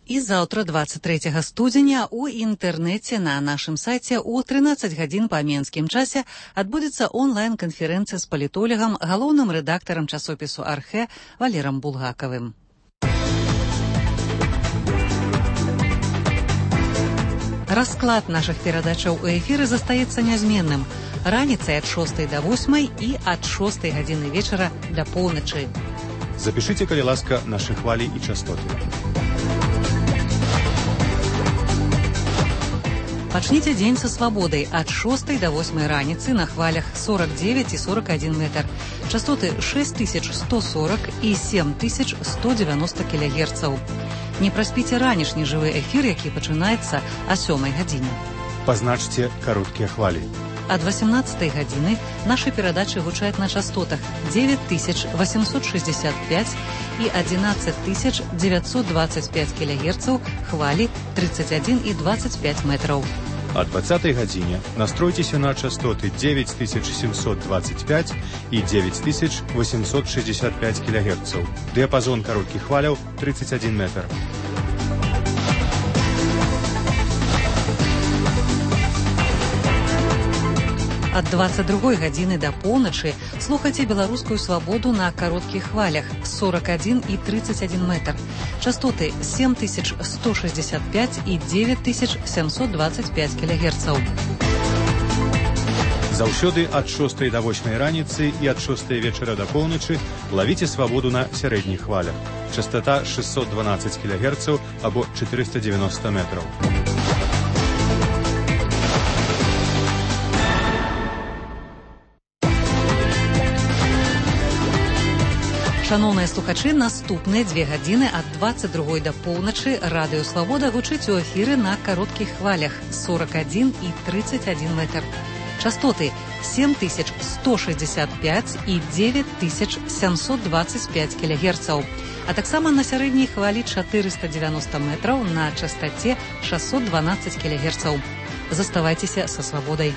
І заўтра, дваццаць трэцяга студзеня, у інтэрнэце на нашым сайце ў трынаццаць гадзін па менскім часе адбудзецца онлайн-канферэнцыя з палітолагам, галоўным рэдактарам часопісу «Архэ» Валерам Булгакавым. Расклад нашых перадачаў у эфіры застаецца нязменным. Раніцай ад шостай да восьмай і ад шостай гадзіны вечара да поўначы. Запішыце, калі ласка, нашы хвалі і частоты. Пачніце дзень са свабодай ад шостай да восьмай раніцы на хвалях сорок девять і сорок один метр. Частоты шесть тысяч сто сорок і семь тысяч сто девяносто кілогерцаў. Не праспіце ранішні жывы эфір, які пачынаецца а сёмай гадзіне. Пазначце кароткія хвалі. Ад восемнадцатай гадзіны нашы перадачы гучаць на частотах девять тысяч восемьсот шестьдесят пять и одиннадцать тысяч девятьсот двадцать пять килогерцаў, хвалі тридцать один и двадцать пять метров. О двадцатой гадзине настройте на частоты девять тысяч семьсот двадцать пять и девять тысяч восемьсот шестьдесят пять килогерцаў. Диапазон коротких хваляў тридцать один метр. Ад двадцать другой гадзіны да поўначы слухайце беларускую свабоду на кароткіх хвалях сорок один и тридцать один метр. Частоты семь тысяч сто шестьдесят пять и девять тысяч семьсот двадцать пять килогерцаў. Заўсёды ад шостай до восьмай раніцы і ад шостай вечара да поўначы лавіце свабоду на сярэдніх хвалях. Частота шестьсот двенадцать килогерцаў або четыреста девяносто метров. Шановныя слухачы, наступныя дзве гадзіны ад двадцать другой да поўначы радыё Свабода гучыць у эфіры на кароткіх хвалях сорок один и тридцать один метр. Частоты семь тысяч сто шестьдесят пять и девять тысяч семьсот двадцать пять килогерцаў, а таксама на сярэдняй хвалі четыреста девяносто метров на частоте шестьсот двенадцать килогерцаў. Заставайцеся са Свабодай.